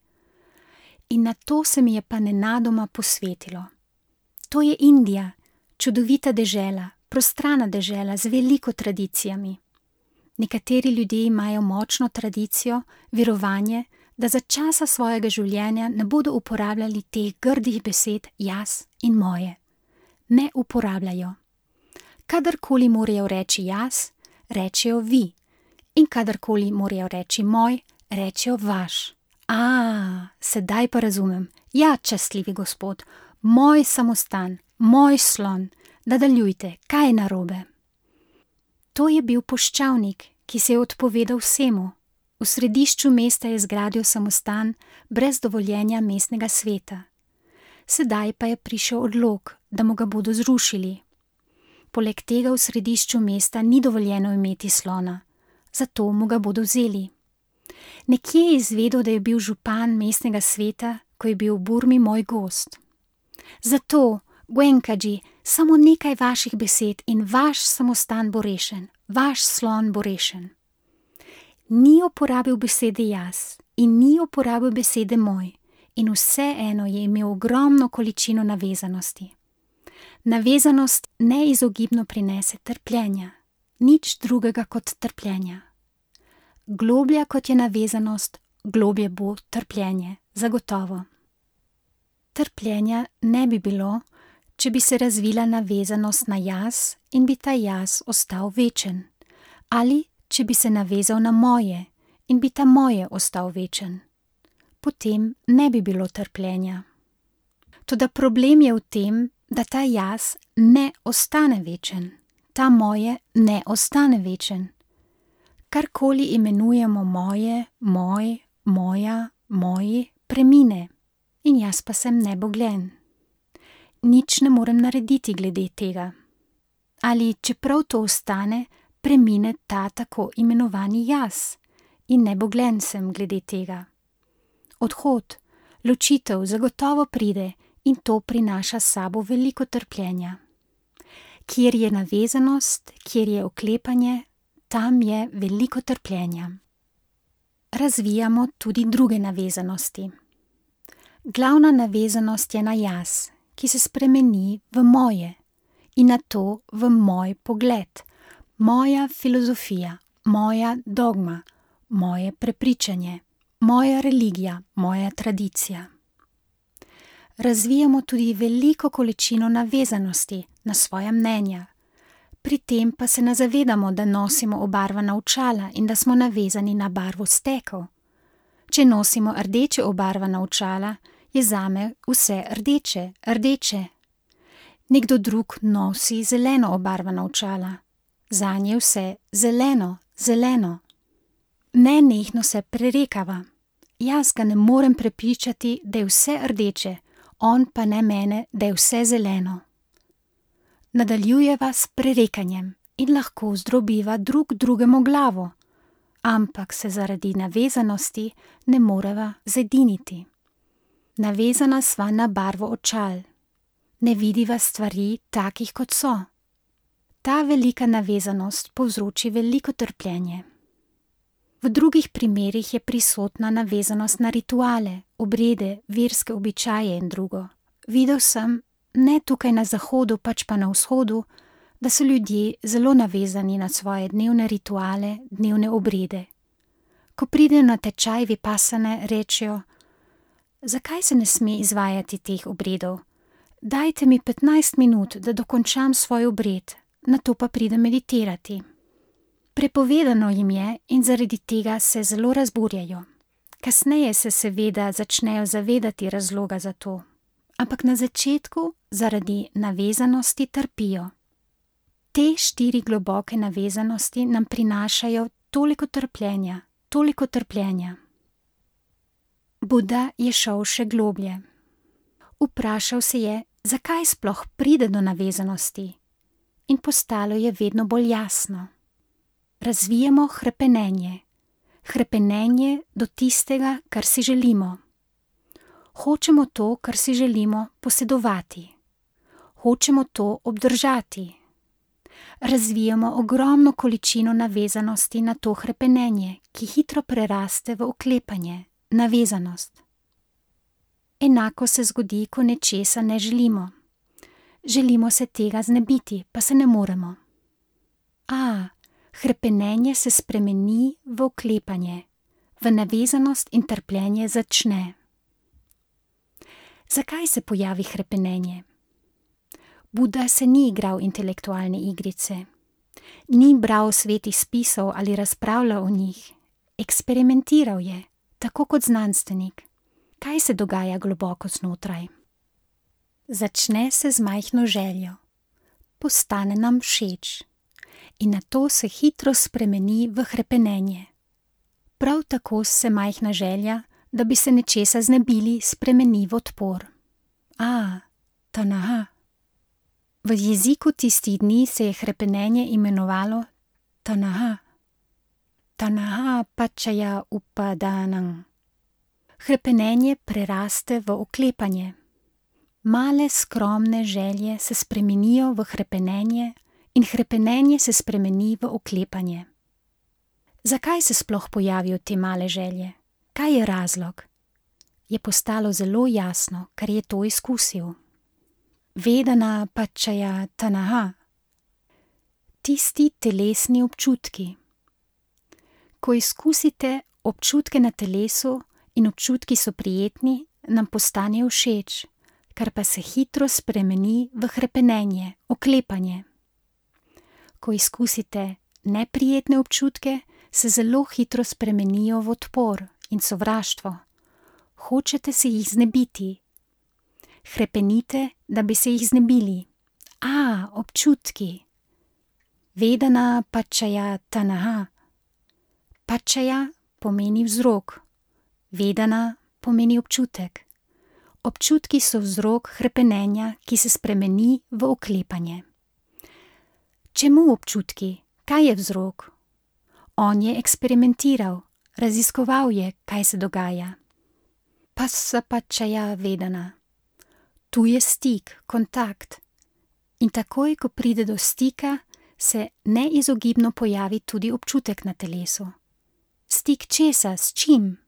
In nato se mi je pa nenadoma posvetilo. To je Indija, čudovita dežela, prostrana dežela z veliko tradicijami. Nekateri ljudje imajo močno tradicijo, verovanje, da za časa svojega življenja ne bodo uporabljali teh grdih besed jaz in moje. Ne uporabljajo. Kadarkoli morajo reči jaz, rečejo vi. In kadarkoli morajo reči moj, rečejo vaš. Sedaj pa razumem. Ja, častljivi gospod, moj samostan, moj slon, nadaljujte, kaj je narobe? To je bil puščavnik, ki se je odpovedal vsemu. V središču mesta je zgradil samostan brez dovoljenja mestnega sveta. Sedaj pa je prišel odlok, da mu ga bodo zrušili. Poleg tega v središču mesta ni dovoljeno imeti slona, zato mu ga bodo vzeli. Nekje je izvedel, da je bil župan mestnega sveta, ko je bil v Burmi moj gost. Zato, Goenkaji, samo nekaj vaših besed in vaš samostan bo rešen, vaš slon bo rešen. Ni uporabil besede jaz in ni uporabil besede moj in vseeno je imel ogromno količino navezanosti. Navezanost neizogibno prinese trpljenja, nič drugega kot trpljenja. Globlja kot je navezanost, globlje bo trpljenje, zagotovo. Trpljenja ne bi bilo, če bi se razvila navezanost na jaz in bi ta jaz ostal večen, ali če bi se navezal na moje in bi ta moje ostal večen. Potem ne bi bilo trpljenja. Toda problem je v tem, da ta jaz ne ostane večen, ta moje ne ostane večen. Karkoli imenujemo moje, moj, moja, moji, premine in jaz pa sem neboglen. Nič ne morem narediti glede tega. Ali čeprav to ostane, premine ta tako imenovani jaz in neboglen sem glede tega. Odhod, ločitev zagotovo pride in to prinaša s sabo veliko trpljenja. Kjer je navezanost, kjer je oklepanje, tam je veliko trpljenja. Razvijamo tudi druge navezanosti. Glavna navezanost je na jaz, ki se spremeni v moje in na to v moj pogled, moja filozofija, moja dogma, moje prepričanje, moja religija, moja tradicija. Razvijamo tudi veliko količino navezanosti na svoja mnenja. Pri tem pa se ne zavedamo, da nosimo obarvana očala in da smo navezani na barvo stekov. Če nosimo rdeče obarvana očala, je zame vse rdeče, rdeče. Nekdo drug nosi zeleno obarvana očala. Zanje je vse zeleno, zeleno. Nenehno se prerekava. Jaz ga ne morem prepričati, da je vse rdeče, on pa ne mene, da je vse zeleno. Nadaljujeva s prerekanjem in lahko zdrobiva drug drugemu glavo, ampak se zaradi navezanosti ne moreva zediniti. Navezana sva na barvo očal. Ne vidiva stvari takih, kot so. Ta velika navezanost povzroči veliko trpljenje. V drugih primerih je prisotna navezanost na rituale, obrede, verske običaje in drugo. Videl sem, ne tukaj na zahodu, pač pa na vzhodu, da so ljudje zelo navezani na svoje dnevne rituale, dnevne obrede. Ko pridejo na tečaj vipasane, rečejo: zakaj se ne sme izvajati teh obredov? Dajte mi 15 minut, da dokončam svoj obred, nato pa pridem meditirati. Prepovedano jim je in zaradi tega se zelo razburjajo. Kasneje se seveda začnejo zavedati razloga za to, ampak na začetku zaradi navezanosti trpijo. Te 4 globoke navezanosti nam prinašajo toliko trpljenja, toliko trpljenja. Buda je šel še globlje. Vprašal se je, zakaj sploh pride do navezanosti, in postalo je vedno bolj jasno. Razvijamo hrepenenje. Hrepenenje do tistega, kar si želimo. Hočemo to, kar si želimo, posedovati. Hočemo to obdržati. Razvijamo ogromno količino navezanosti na to hrepenenje, ki hitro preraste v oklepanje, navezanost. Enako se zgodi, ko nečesa ne želimo. Želimo se tega znebiti, pa se ne moremo. Hrepenenje se spremeni v oklepanje, v navezanost in trpljenje začne. Zakaj se pojavi hrepenenje? Buda se ni igral intelektualne igrice, ni bral svetih spisov ali razpravljal o njih, eksperimentiral je, tako kot znanstvenik. Kaj se dogaja globoko znotraj? Začne se z majhno željo, postane nam všeč in nato se hitro spremeni v hrepenenje. Prav tako se majhna želja, da bi se nečesa znebili, spremeni v odpor. Tanaha. V jeziku tistih dni se je hrepenenje imenovalo tanaha. Tanaha pačaja upadanang. Hrepenenje preraste v oklepanje. Male skromne želje se spremenijo v hrepenenje in hrepenenje se spremeni v oklepanje. Zakaj se sploh pojavijo te male želje? Kaj je razlog? Je postalo zelo jasno, ker je to izkusil. Vedana pačaja tanaha. Tisti telesni občutki. Ko izkusite občutke na telesu in občutki so prijetni, nam postanejo všeč, kar pa se hitro spremeni v hrepenenje, oklepanje. Ko izkusite neprijetne občutke, se zelo hitro spremenijo v odpor in sovraštvo. Hočete se jih znebiti. Hrepenite, da bi se jih znebili. Občutki. Vedana pačaja tanaha. Pačaja pomeni vzrok. Vedana pomeni občutek. Občutki so vzrok hrepenenja, ki se spremeni v oklepanje. Čemu občutki? Kaj je vzrok? On je eksperimentiral, raziskoval je, kaj se dogaja. Passa pačaja vedana. Tu je stik, kontakt. In takoj, ko pride do stika, se neizogibno pojavi tudi občutek na telesu. Stik česa, s čim?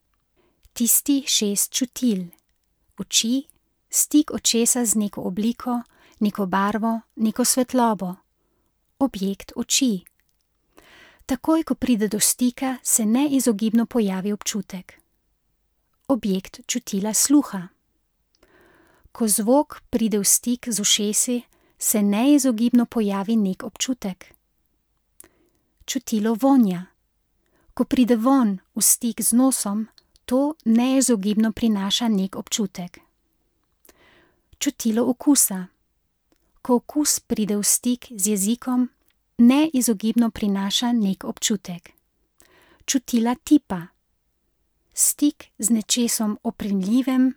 Tisti 6 čutil. Oči, stik očesa z neko obliko, neko barvo, neko svetlobo. Objekt oči. Takoj, ko pride do stika, se neizogibno pojavi občutek. Objekt čutila sluha. Ko zvok pride v stik z ušesi, se neizogibno pojavi nek občutek. Čutilo vonja. Ko pride vonj v stik z nosom, to neizogibno prinaša nek občutek. Čutilo okusa. Ko okus pride v stik z jezikom, neizogibno prinaša nek občutek. Čutila tipa. Stik z nečesom oprijemljivim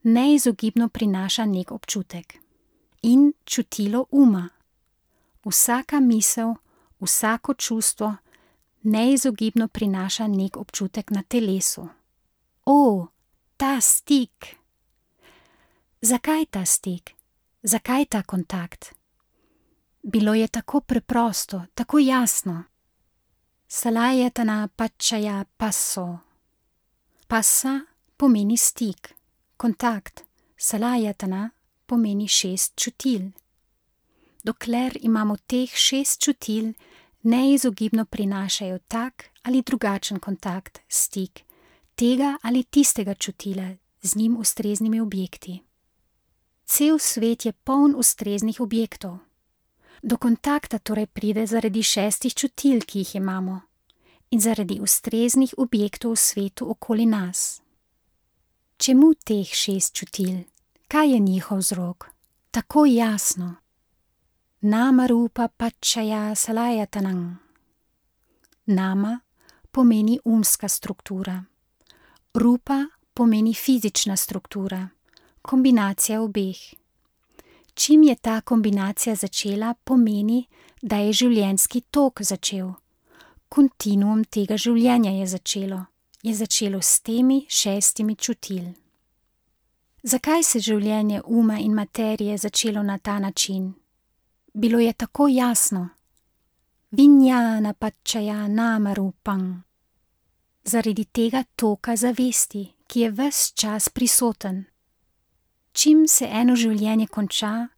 neizogibno prinaša nek občutek. In čutilo uma. Vsaka misel, vsako čustvo neizogibno prinaša nek občutek na telesu. Ta stik! Zakaj ta stik? Zakaj ta kontakt? Bilo je tako preprosto, tako jasno. Salayatana pačaja passo. Passa pomeni stik, kontakt. Salayatana pomeni 6 čutil. Dokler imamo teh 6 čutil, neizogibno prinašajo tak ali drugačen kontakt, stik, tega ali tistega čutila z njim ustreznimi objekti. Cel svet je poln ustreznih objektov. Do kontakta torej pride zaradi 6 čutil, ki jih imamo, in zaradi ustreznih objektov v svetu okoli nas. Čemu teh 6 čutil? Kaj je njihov vzrok? Tako jasno. Nama rupa pačaja salayatanang. Nama pomeni umska struktura. Rupa pomeni fizična struktura, kombinacija obeh. Čim je ta kombinacija začela, pomeni, da je življenjski tok začel. Kontinuum tega življenja je začelo s temi 6 čutil. Zakaj se življenje uma in materije začelo na ta način? Bilo je tako jasno. Vinjana pačaja nama rupang. Zaradi tega toka zavesti, ki je ves čas prisoten. Čim se eno življenje konča,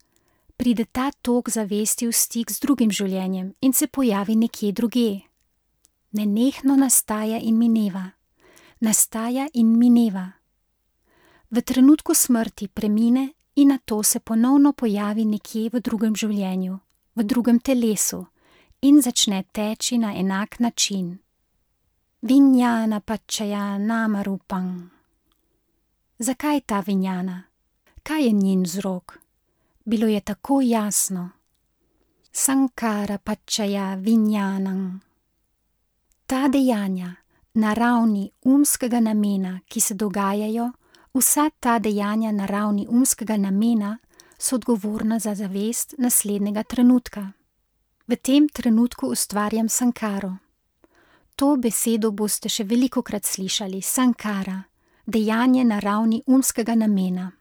pride ta tok zavesti v stik z drugim življenjem in se pojavi nekje drugje. Nenehno nastaja in mineva. Nastaja in mineva. V trenutku smrti premine in nato se ponovno pojavi nekje v drugem življenju, v drugem telesu in začne teči na enak način. Vinjana pačaja nama rupang. Zakaj ta vinjana? Kaj je njen vzrok? Bilo je tako jasno. Sankara pačaja vinjanang. Ta dejanja na ravni umskega namena, ki se dogajajo, vsa ta dejanja na ravni umskega namena so odgovorna za zavest naslednjega trenutka. V tem trenutku ustvarjam sankaro. To besedo boste še velikokrat slišali, sankara, dejanje na ravni umskega namena.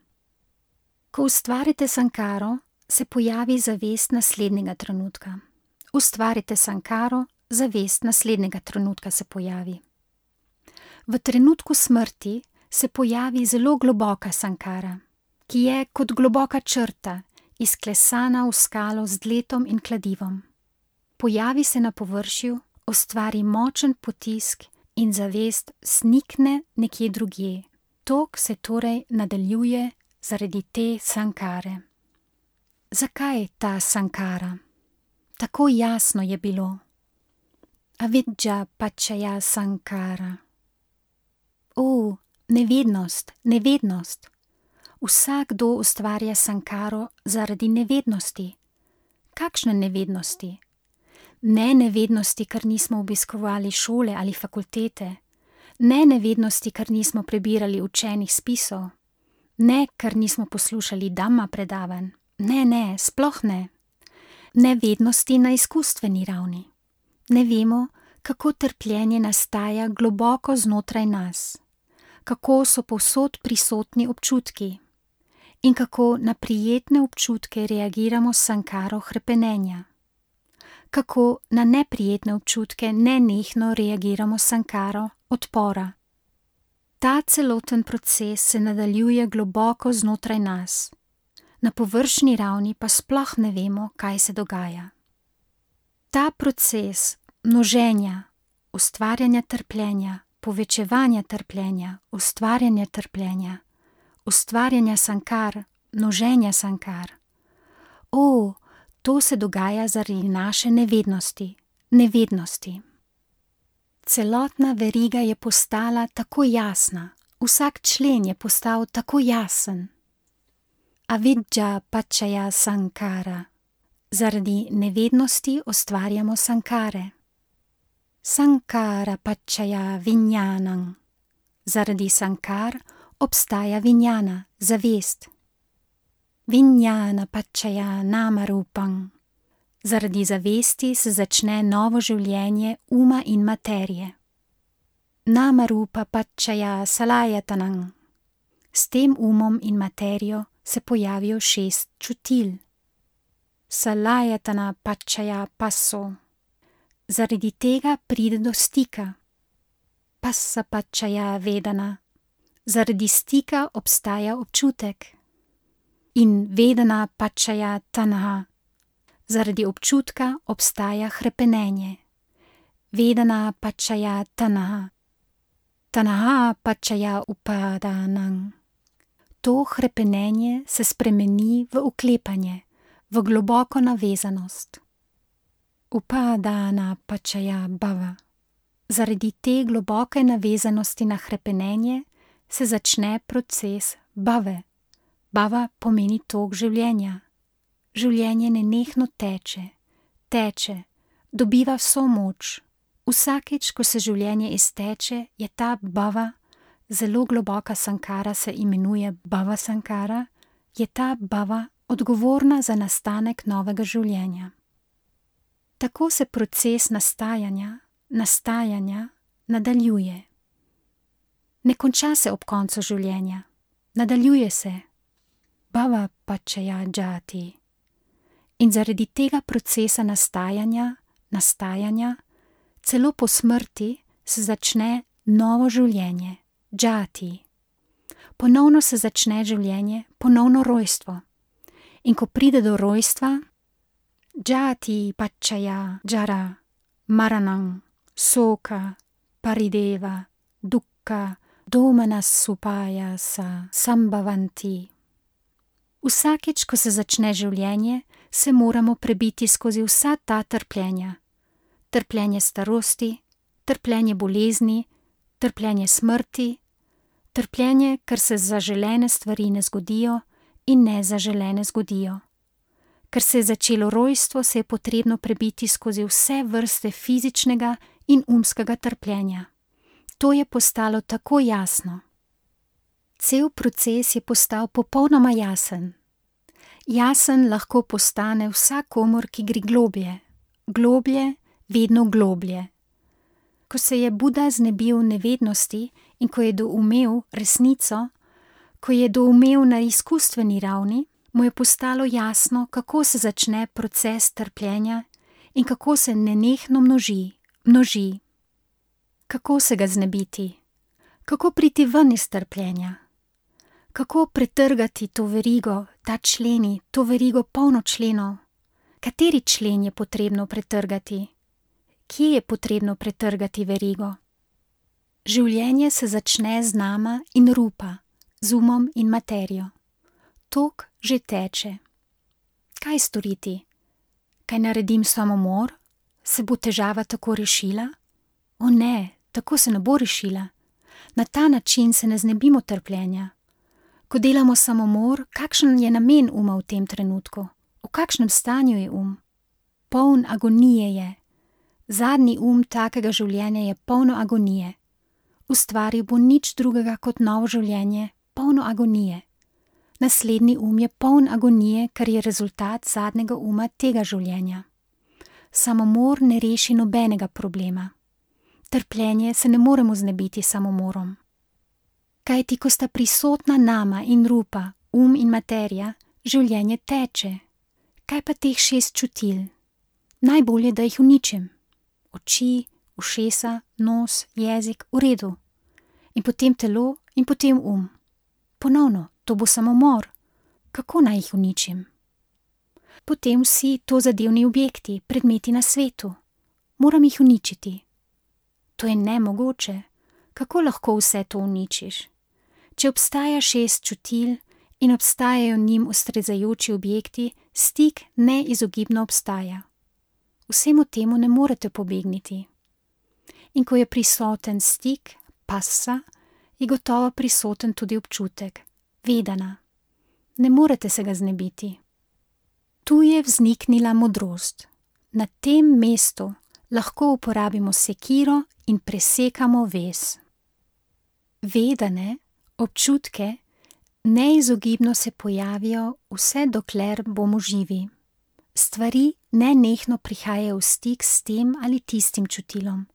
Ko ustvarite sankaro, se pojavi zavest naslednjega trenutka. Ustvarite sankaro, zavest naslednjega trenutka se pojavi. V trenutku smrti se pojavi zelo globoka sankara, ki je kot globoka črta, izklesana v skalo z dletom in kladivom. Pojavi se na površju, ustvari močen potisk in zavest snikne nekje drugje. Tok se torej nadaljuje zaradi te sankare. Zakaj ta sankara? Tako jasno je bilo. Avidža pačaja sankara. Nevednost, nevednost. Vsakdo ustvarja sankaro zaradi nevednosti. Kakšne nevednosti? Ne nevednosti, ker nismo obiskovali šole ali fakultete, ne nevednosti, ker nismo prebirali učenih spisov, ne, ker nismo poslušali dhamma predavanj, ne, sploh ne. Nevednosti na izkustveni ravni. Ne vemo, kako trpljenje nastaja globoko znotraj nas, kako so povsod prisotni občutki in kako na prijetne občutke reagiramo s sankaro hrepenenja. Kako na neprijetne občutke nenehno reagiramo s sankaro odpora. Ta celoten proces se nadaljuje globoko znotraj nas, na površni ravni pa sploh ne vemo, kaj se dogaja. Ta proces množenja, ustvarjanja trpljenja, povečevanja trpljenja, ustvarjanja sankar, množenja sankar. To se dogaja zaradi naše nevednosti. Celotna veriga je postala tako jasna, vsak člen je postal tako jasen. Avidža pačaja sankara. Zaradi nevednosti ustvarjamo sankare. Sankara pačaja vinjanang. Zaradi sankar obstaja vinjana, zavest. Vinjana pačaja namarupang. Zaradi zavesti se začne novo življenje uma in materije. Namarupa pačaja salajatanang. S tem umom in materijo se pojavijo 6 čutil. Salajatana pačaja paso. Zaradi tega pride do stika. Passa pačaja vedana. Zaradi stika obstaja občutek. In vedana pačaja tanha. Zaradi občutka obstaja hrepenenje. Vedana pačaja tanha. Tanha pačaja upadanang. To hrepenenje se spremeni v uklepanje, v globoko navezanost. Upadana pačaja bhava. Zaradi te globoke navezanosti na hrepenenje se začne proces bhave. Bhava pomeni tok življenja. Življenje nenehno teče, dobiva vso moč. Vsakič, ko se življenje izteče, je ta bhava, zelo globoka sankara se imenuje bhava sankara, je ta bhava odgovorna za nastanek novega življenja. Tako se proces nastajanja nadaljuje. Ne konča se ob koncu življenja, nadaljuje se. Bhava pačaja džati. In zaradi tega procesa nastajanja, celo po smrti se začne novo življenje, džati. Ponovno se začne življenje, ponovno rojstvo. In ko pride do rojstva, džati pačaja džara, maranang, soka, parideva, dukkha, domanasupaya sa sambhavanti. Vsakič, ko se začne življenje, se moramo prebiti skozi vsa ta trpljenja. Trpljenje starosti, trpljenje bolezni, trpljenje smrti, trpljenje, ker se zaželene stvari ne zgodijo in nezaželene zgodijo. Ker se je začelo rojstvo, se je potrebno prebiti skozi vse vrste fizičnega in umskega trpljenja. To je postalo tako jasno. Cel proces je postal popolnoma jasen. Jasen lahko postane vsakomur, ki gre globlje, globlje, vedno globlje. Ko se je Buda znebil nevednosti in ko je doumel resnico, ko je doumel na izkustveni ravni, mu je postalo jasno, kako se začne proces trpljenja in kako se nenehno množi. Kako se ga znebiti? Kako priti ven iz trpljenja? Kako pretrgati to verigo, ta členi, to verigo polno členov? Kateri člen je potrebno pretrgati? Kje je potrebno pretrgati verigo? Življenje se začne z nama in rupa, z umom in materijo. Tok že teče. Kaj storiti? Kaj naredim samomor? Se bo težava tako rešila? O ne, tako se ne bo rešila. Na ta način se ne znebimo trpljenja. Ko delamo samomor, kakšen je namen uma v tem trenutku? V kakšnem stanju je Poln agonije je. Zadnji takega življenja je polno agonije. Ustvaril bo nič drugega kot novo življenje, polno agonije. Naslednji je poln agonije, kar je rezultat zadnjega tega življenja. Samomor ne reši nobenega problema. Trpljenje se ne moremo znebiti samomorom. Kajti, ko sta prisotna nama in rupa, in materija, življenje teče. Kaj pa teh 6 čutil? Najbolje, da jih uničim. Oči, ušesa, nos, jezik, v redu. In potem telo in potem Ponovno, to bo samomor. Kako naj jih uničim? Potem vsi tozadevni objekti, predmeti na svetu. Moram jih uničiti. To je nemogoče. Kako lahko vse to uničiš? Če obstaja 6 čutil in obstajajo njim ustrezajoči objekti, stik neizogibno obstaja. Vsemu temu ne morete pobegniti. In ko je prisoten stik, passa, je gotovo prisoten tudi občutek, vedana. Ne morete se ga znebiti. Tu je vzniknila modrost. Na tem mestu lahko uporabimo sekiro in presekamo vez. Vedane, občutke, neizogibno se pojavijo, vse dokler bomo živi. Stvari nenehno prihajajo v stik s tem ali tistim čutilom.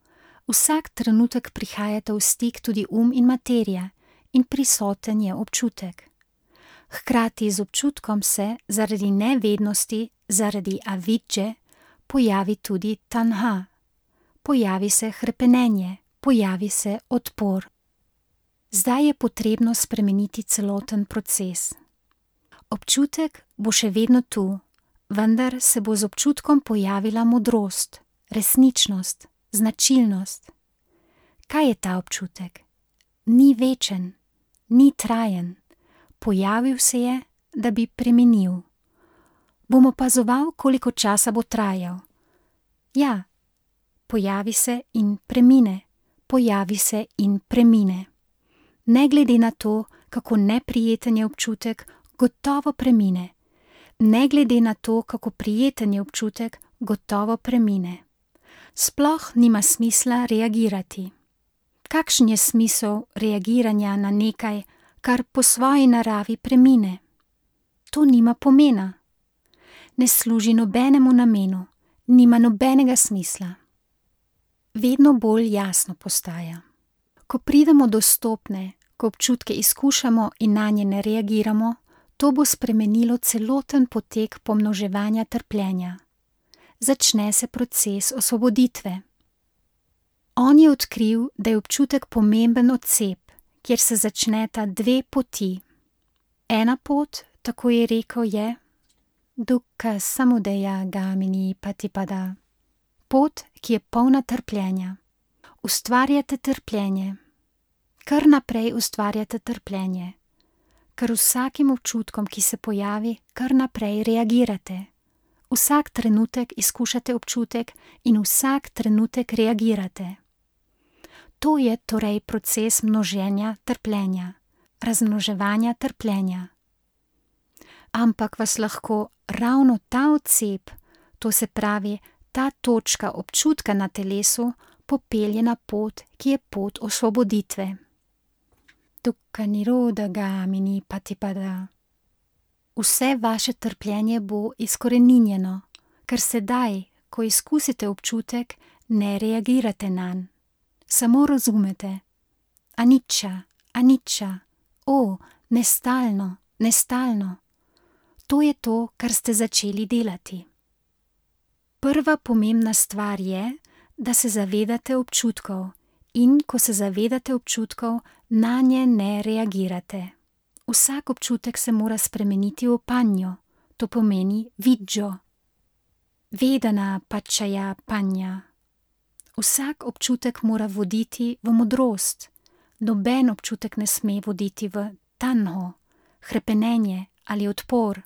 Vsak trenutek prihajata v stik tudi in materija in prisoten je občutek. Hkrati z občutkom se, zaradi nevednosti, zaradi avidže, pojavi tudi tanha. Pojavi se hrepenenje, pojavi se odpor. Zdaj je potrebno spremeniti celoten proces. Občutek bo še vedno tu, vendar se bo z občutkom pojavila modrost, resničnost, značilnost. Kaj je ta občutek? Ni večen, ni trajen. Pojavil se je, da bi preminil. Bom opazoval, koliko časa bo trajal. Ja, pojavi se in premine, pojavi se in premine. Ne glede na to, kako neprijeten je občutek, gotovo premine. Ne glede na to, kako prijeten je občutek, gotovo premine. Sploh nima smisla reagirati. Kakšen je smisel reagiranja na nekaj, kar po svoji naravi premine? To nima pomena. Ne služi nobenemu namenu, nima nobenega smisla. Vedno bolj jasno postaja. Ko pridemo do stopnje, ko občutke izkušamo in nanje ne reagiramo, to bo spremenilo celoten potek pomnoževanja trpljenja. Začne se proces osvoboditve. On je odkril, da je občutek pomemben odcep, kjer se začneta 2 poti. Ena pot, tako je rekel, je dukkha samudaya gamini patipada. Pot, ki je polna trpljenja. Ustvarjate trpljenje. Kar naprej ustvarjate trpljenje. Kar vsakim občutkom, ki se pojavi, kar naprej reagirate. Vsak trenutek izkušate občutek in vsak trenutek reagirate. To je torej proces množenja trpljenja, razmnoževanja trpljenja. Ampak vas lahko ravno ta odcep, to se pravi ta točka občutka na telesu, popelje na pot, ki je pot osvoboditve. Dukkha nirodha gamini patipada. Vse vaše trpljenje bo izkoreninjeno, ker sedaj, ko izkusite občutek, ne reagirate nanj. Samo razumete. Anicca, anicca, nestalno, nestalno. To je to, kar ste začeli delati. Prva pomembna stvar je, da se zavedate občutkov in ko se zavedate občutkov, nanje ne reagirate. Vsak občutek se mora spremeniti v panjo, to pomeni viđo. Vedana pačaja panja. Vsak občutek mora voditi v modrost. Noben občutek ne sme voditi v tanho, hrepenenje ali odpor.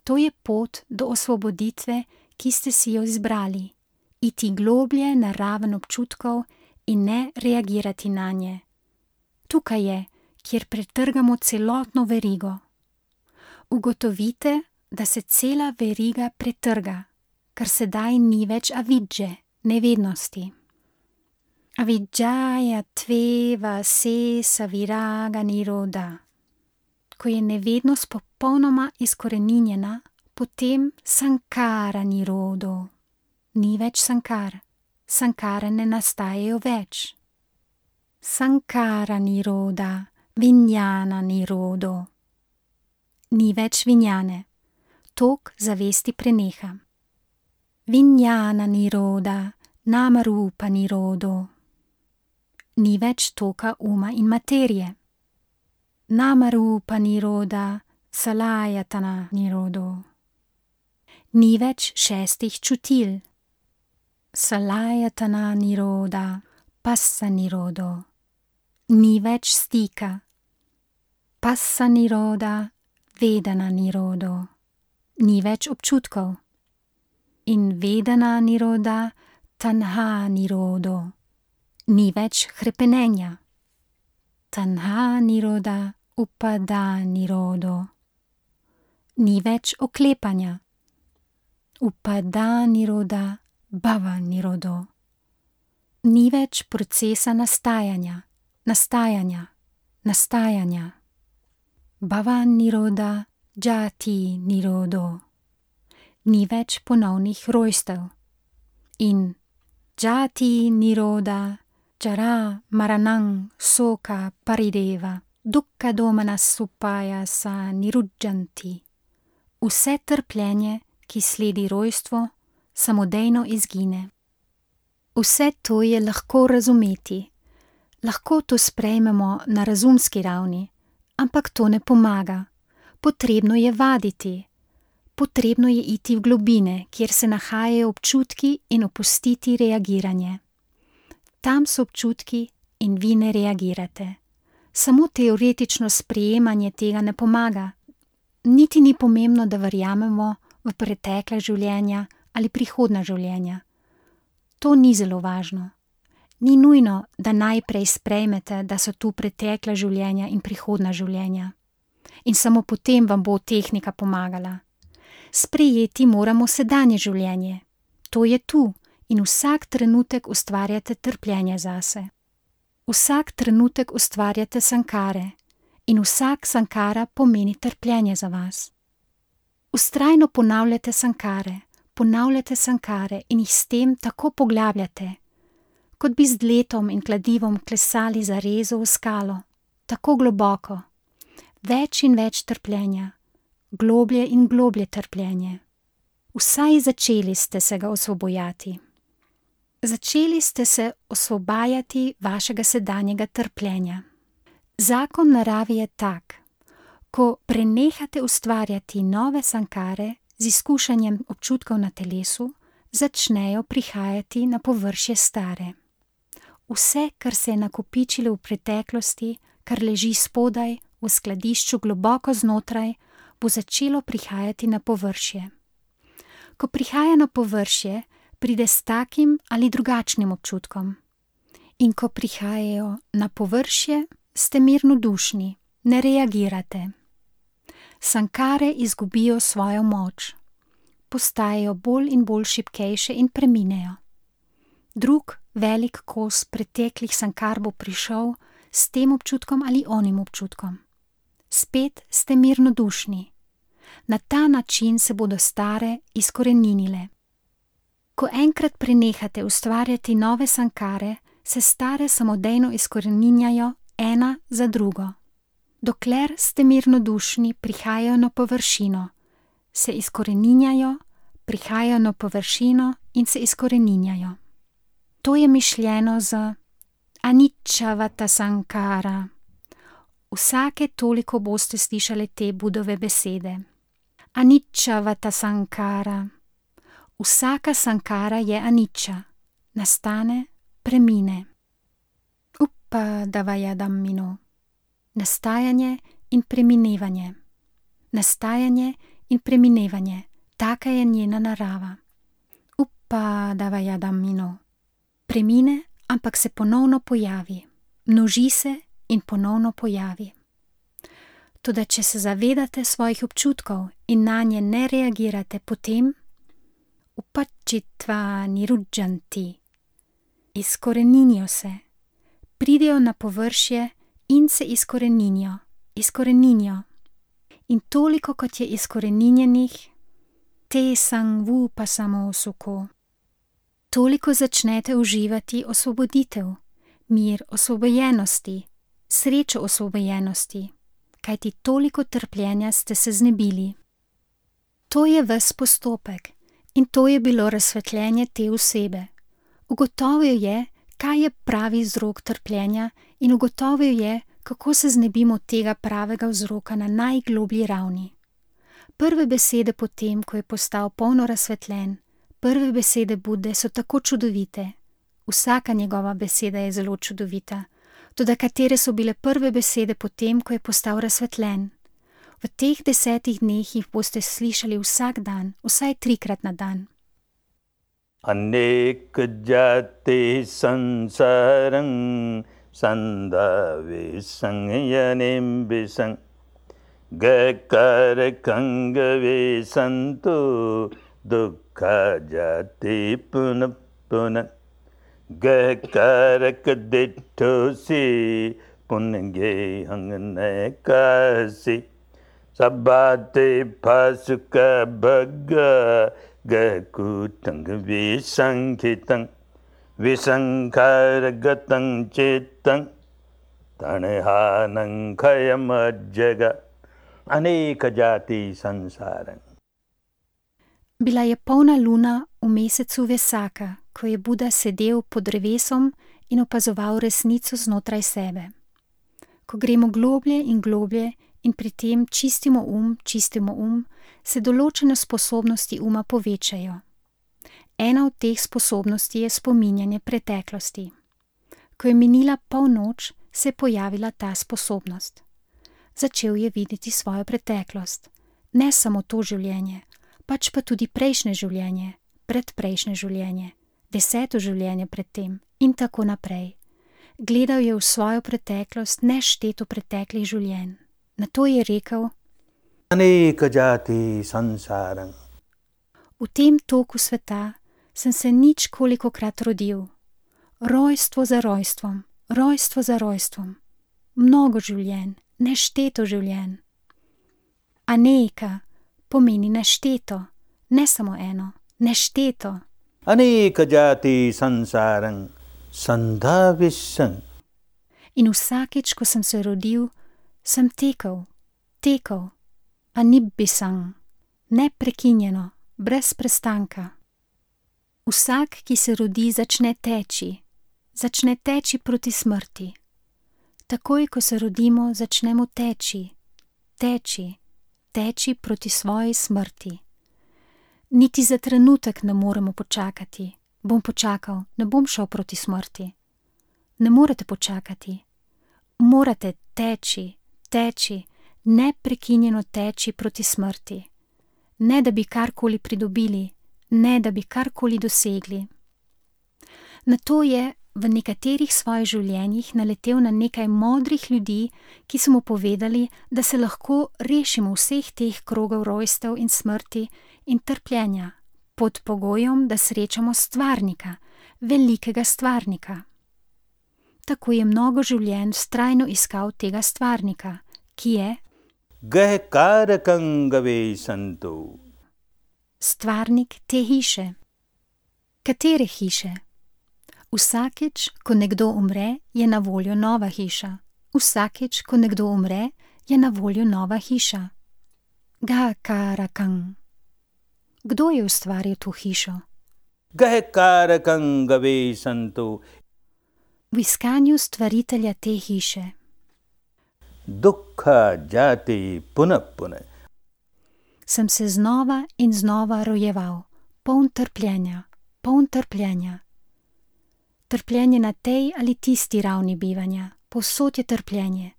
To je pot do osvoboditve, ki ste si jo izbrali. Iti globlje na raven občutkov in ne reagirati nanje. Tukaj je, kjer pretrgamo celotno verigo. Ugotovite, da se cela veriga pretrga, ker sedaj ni več avidže, nevednosti. Avidžaja tveva se saviraga niroda. Ko je nevednost popolnoma izkoreninjena, potem sankara nirodo. Ni več sankar. Sankare ne nastajajo več. Sankara niroda, vinjana nirodo. Ni več vinjane. Tok zavesti preneha. Vinjana niroda, namarupa nirodo. Ni več toka uma in materije. Namarupa niroda, salajatana nirodo. Ni več 6 čutil. Salajatana niroda, passa nirodo. Ni več stika. Passa niroda, vedana nirodo. Ni več občutkov. In vedana niroda, tanha nirodo. Ni več hrepenenja. Tanha niroda, upada nirodo. Ni več oklepanja. Upada niroda, bhava nirodo. Ni več procesa nastajanja. Bhava niroda, jati nirodo. Ni več ponovnih rojstev. In jati niroda, jara maranang soka parideva, dukkha domana supaya sa nirudžanti. Vse trpljenje, ki sledi rojstvo, samodejno izgine. Vse to je lahko razumeti. Lahko to sprejmemo na razumski ravni, ampak to ne pomaga. Potrebno je vaditi. Potrebno je iti v globine, kjer se nahajajo občutki in opustiti reagiranje. Tam so občutki in vi ne reagirate. Samo teoretično sprejemanje tega ne pomaga. Niti ni pomembno, da verjamemo v pretekla življenja ali prihodna življenja. To ni zelo važno. Ni nujno, da najprej sprejmete, da so tu pretekla življenja in prihodna življenja. In samo potem vam bo tehnika pomagala. Sprejeti moramo sedanje življenje. To je tu in vsak trenutek ustvarjate trpljenje zase. Vsak trenutek ustvarjate sankare in vsak sankara pomeni trpljenje za vas. Vztrajno ponavljate sankare in jih s tem tako poglabljate, kot bi z dletom in kladivom klesali zarezo v skalo, tako globoko, več in več trpljenja, globlje in globlje trpljenje. Vsaj začeli ste se ga osvobojati. Začeli ste se osvobajati vašega sedanjega trpljenja. Zakon narave je tak, ko prenehate ustvarjati nove sankare z izkušanjem občutkov na telesu, začnejo prihajati na površje stare. Vse, kar se je nakopičilo v preteklosti, kar leži spodaj, v skladišču globoko znotraj, bo začelo prihajati na površje. Ko prihaja na površje, pride s takim ali drugačnim občutkom. In ko prihajajo na površje, ste mirnodušni, ne reagirate. Sankare izgubijo svojo moč. Postajajo bolj in bolj šibkejše in preminejo. Drug velik kos preteklih sankar bo prišel s tem občutkom ali onim občutkom. Spet ste mirnodušni. Na ta način se bodo stare izkoreninile. Ko enkrat prenehate ustvarjati nove sankare, se stare samodejno izkoreninjajo ena za drugo. Dokler ste mirnodušni, prihajajo na površino, se izkoreninjajo, prihajajo na površino in se izkoreninjajo. To je mišljeno z Anicčavata sankara. Vsake toliko boste slišali te Budove besede. Anicčavata sankara. Vsaka sankara je anicca, nastane, premine. Upadavayadammino. Nastajanje in preminevanje. Nastajanje in preminevanje, taka je njena narava. Upadavayadammino. Premine, ampak se ponovno pojavi. Množi se in ponovno pojavi. Toda če se zavedate svojih občutkov in nanje ne reagirate, potem upacchitva nirujjanti. Izkoreninijo se, pridejo na površje in se izkoreninijo. In toliko, kot je izkoreninjenih, te sangvupasamo suko. Toliko začnete uživati osvoboditev, mir osvobojenosti, srečo osvobojenosti, kajti toliko trpljenja ste se znebili. To je ves postopek in to je bilo razsvetljenje te osebe. Ugotovil je, kaj je pravi vzrok trpljenja in ugotovil je, kako se znebimo tega pravega vzroka na najgloblji ravni. Prve besede potem, ko je postal polno razsvetljen, prve besede Bude so tako čudovite. Vsaka njegova beseda je zelo čudovita. Toda katere so bile prve besede potem, ko je postal razsvetljen? V teh 10 dneh jih boste slišali vsak dan, vsaj 3-krat na dan. Anek jati sansarang sandave sangyanim bisang gakar kangave santu dukkha jati punapuna gakarak dittosi punge hangnekasi sabbate pasuka bhagga gakutang visankitang visankargatang chittang tanehanang khayamajjaga aneka jati sansarang. Bila je polna luna v mesecu Vesaka, ko je Buda sedel pod drevesom in opazoval resnico znotraj sebe. Ko gremo globlje in globlje in pri tem čistimo um, se določene sposobnosti uma povečajo. Ena od teh sposobnosti je spominjanje preteklosti. Ko je minila polnoč, se je pojavila ta sposobnost. Začel je videti svojo preteklost, ne samo to življenje, pač pa tudi prejšnje življenje, predprejšnje življenje, 10. življenje pred tem in tako naprej. Gledal je v svojo preteklost nešteto preteklih življenj. Nato je rekel: Aneka jati sansarang. V tem toku sveta sem se ničkolikokrat rodil. Rojstvo za rojstvom, rojstvo za rojstvom. Mnogo življenj, nešteto življenj. Aneka pomeni nešteto, ne samo eno, nešteto. Aneka jati sansarang sandhavisang. In vsakič, ko sem se rodil, sem tekel, anibbisang, neprekinjeno, brez prestanka. Vsak, ki se rodi, začne teči proti smrti. Takoj, ko se rodimo, začnemo teči proti svoji smrti. Niti za trenutek ne moremo počakati. Bom počakal, ne bom šel proti smrti. Ne morete počakati. Morate teči, neprekinjeno teči proti smrti. Ne da bi karkoli pridobili, ne da bi karkoli dosegli. Nato je v nekaterih svojih življenjih naletel na nekaj modrih ljudi, ki so mu povedali, da se lahko rešimo vseh teh krogov rojstev in smrti in trpljenja, pod pogojem, da srečamo stvarnika, velikega stvarnika. Tako je mnogo življenj vztrajno iskal tega stvarnika, ki je gahkarakam gavesantu. Stvarnik te hiše. Katere hiše? Vsakič, ko nekdo umre, je na voljo nova hiša. Vsakič, ko nekdo umre, je na voljo nova hiša. Gahkarakam. Kdo je ustvaril to hišo? Gahkarakam gavesantu. V iskanju stvaritelja te hiše. Dukkha jati punah punah. Sem se znova in znova rojeval, poln trpljenja, poln trpljenja. Trpljenje na tej ali tisti ravni bivanja, povsod je trpljenje.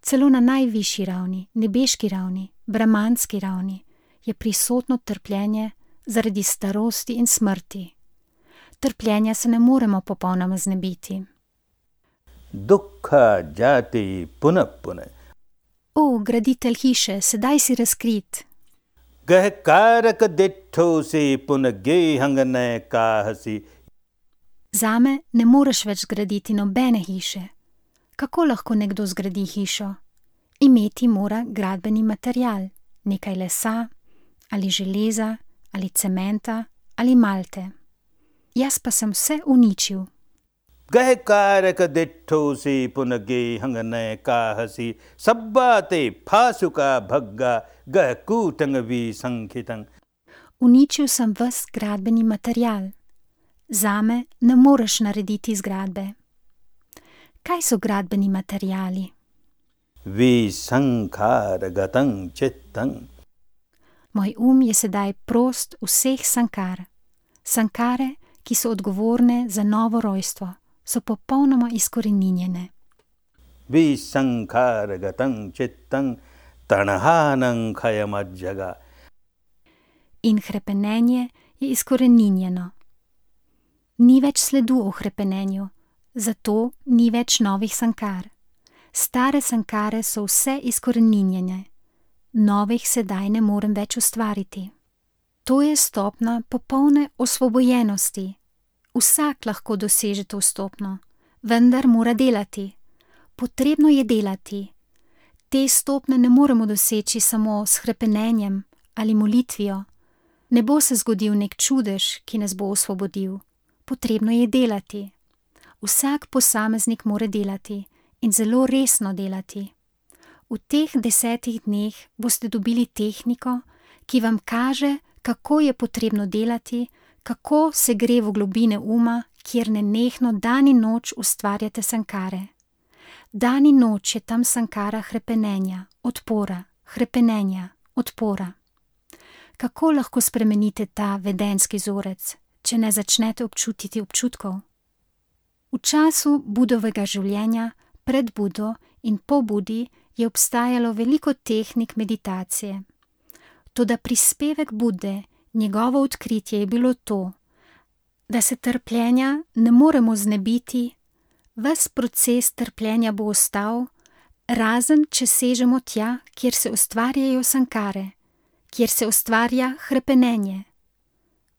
Celo na najvišji ravni, nebeški ravni, brahmanski ravni, je prisotno trpljenje zaradi starosti in smrti. Trpljenja se ne moremo popolnoma znebiti. Dukkha jati punah punah. O, graditelj hiše, sedaj si razkrit. Gahkarak dithosi punagehangane kahasi. Zame ne moreš več zgraditi nobene hiše. Kako lahko nekdo zgradi hišo? Imeti mora gradbeni material, nekaj lesa, ali železa, ali cementa, ali malte. Jaz pa sem vse uničil. Gahkarak dithosi punagehangane kahasi. Sabbate phasuka bhagga gahkutangavi sankhitan. Uničil sem ves gradbeni material. Zame ne moreš narediti zgradbe. Kaj so gradbeni materiali? Visankaragatam chittam. Moj je sedaj prost vseh sankar. Sankare, ki so odgovorne za novo rojstvo, so popolnoma izkoreninjene. Visankaragatam chittam tanahanam khayamadjaga. In hrepenenje je izkoreninjeno. Ni več sledu o hrepenenju, zato ni več novih sankar. Stare sankare so vse izkoreninjene, novih sedaj ne morem več ustvariti. To je stopnja popolne osvobojenosti. Vsak lahko doseže to stopnjo, vendar mora delati. Potrebno je delati. Te stopnje ne moremo doseči samo s hrepenenjem ali molitvijo. Ne bo se zgodil nek čudež, ki nas bo osvobodil. Potrebno je delati. Vsak posameznik mora delati in zelo resno delati. V teh 10 dneh boste dobili tehniko, ki vam kaže, kako je potrebno delati, kako se gre v globine uma, kjer nenehno dan in noč ustvarjate sankare. Dan in noč je tam sankara hrepenenja, odpora, hrepenenja, odpora. Kako lahko spremenite ta vedenski vzorec, če ne začnete občutiti občutkov? V času Budovega življenja, pred Budo in po Budi je obstajalo veliko tehnik meditacije. Toda prispevek Bude, njegovo odkritje je bilo to, da se trpljenja ne moremo znebiti, ves proces trpljenja bo ostal, razen če sežemo tja, kjer se ustvarjajo sankare, kjer se ustvarja hrepenenje.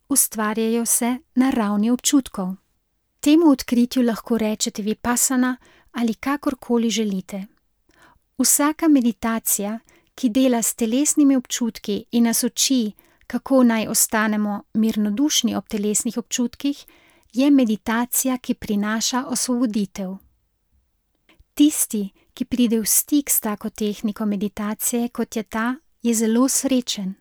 Ustvarjajo se na ravni občutkov. Temu odkritju lahko rečete vipassana ali kakorkoli želite. Vsaka meditacija, ki dela s telesnimi občutki in nas uči, kako naj ostanemo mirnodušni ob telesnih občutkih, je meditacija, ki prinaša osvoboditev. Tisti, ki pride v stik s tako tehniko meditacije, kot je ta, je zelo srečen.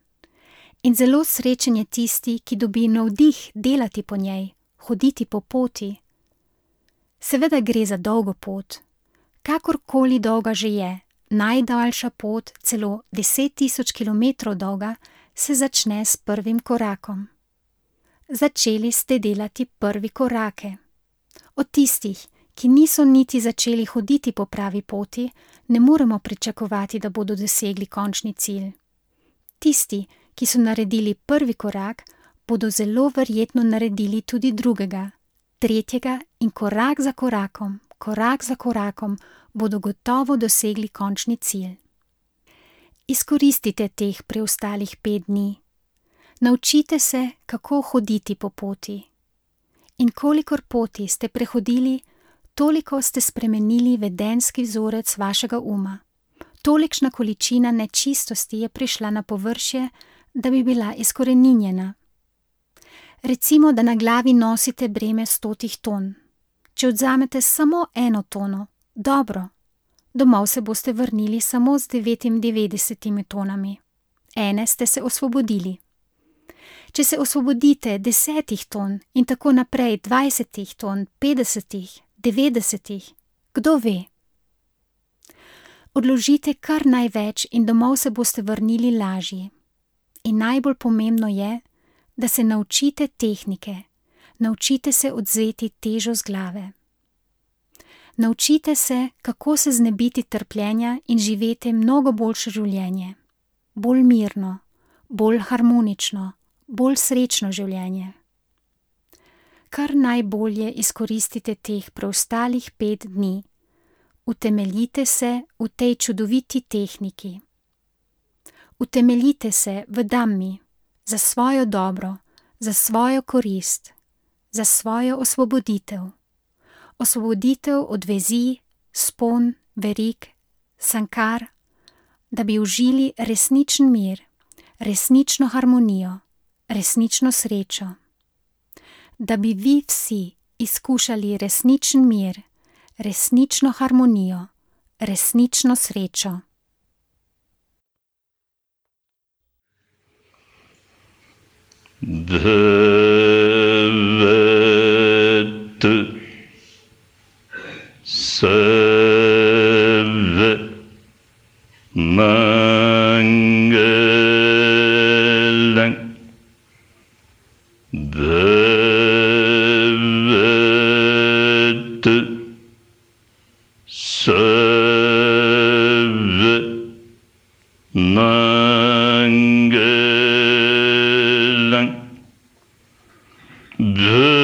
In zelo srečen je tisti, ki dobi navdih delati po njej, hoditi po poti. Seveda gre za dolgo pot. Kakorkoli dolga že je, najdaljša pot, celo 10.000 kilometrov dolga, se začne s prvim korakom. Začeli ste delati prvi korake. Od tistih, ki niso niti začeli hoditi po pravi poti, ne moremo pričakovati, da bodo dosegli končni cilj. Tisti, ki so naredili prvi korak, bodo zelo verjetno naredili tudi drugega, tretjega in korak za korakom bodo gotovo dosegli končni cilj. Izkoristite teh preostalih 5 dni. Naučite se, kako hoditi po poti. In kolikor poti ste prehodili, toliko ste spremenili vedenski vzorec vašega uma. Tolikšna količina nečistosti je prišla na površje, da bi bila izkoreninjena. Recimo, da na glavi nosite breme 100 ton. Če odzamete samo 1 tono, dobro, domov se boste vrnili samo z 99 tonami. Ene ste se osvobodili. Če se osvobodite 10 ton in tako naprej 20 ton, 50, 90, kdo ve? Odložite kar največ in domov se boste vrnili lažji. In najbolj pomembno je, da se naučite tehnike, naučite se odvzeti težo z glave. Naučite se, kako se znebiti trpljenja in živeti mnogo boljše življenje. Bolj mirno, bolj harmonično, bolj srečno življenje. Kar najbolje izkoristite teh preostalih 5 dni. Utemeljite se v tej čudoviti tehniki. Utemeljite se v Dhammi, za svojo dobro, za svojo korist, za svojo osvoboditev. Osvoboditev od vezi, spon, verig, sankar, da bi užili resničen mir, resnično harmonijo, resnično srečo. Da bi vi vsi izkušali resničen mir, resnično harmonijo, resnično srečo. Bhavad Sarva Mangalam Bhavad Sarva Mangalam Bhavad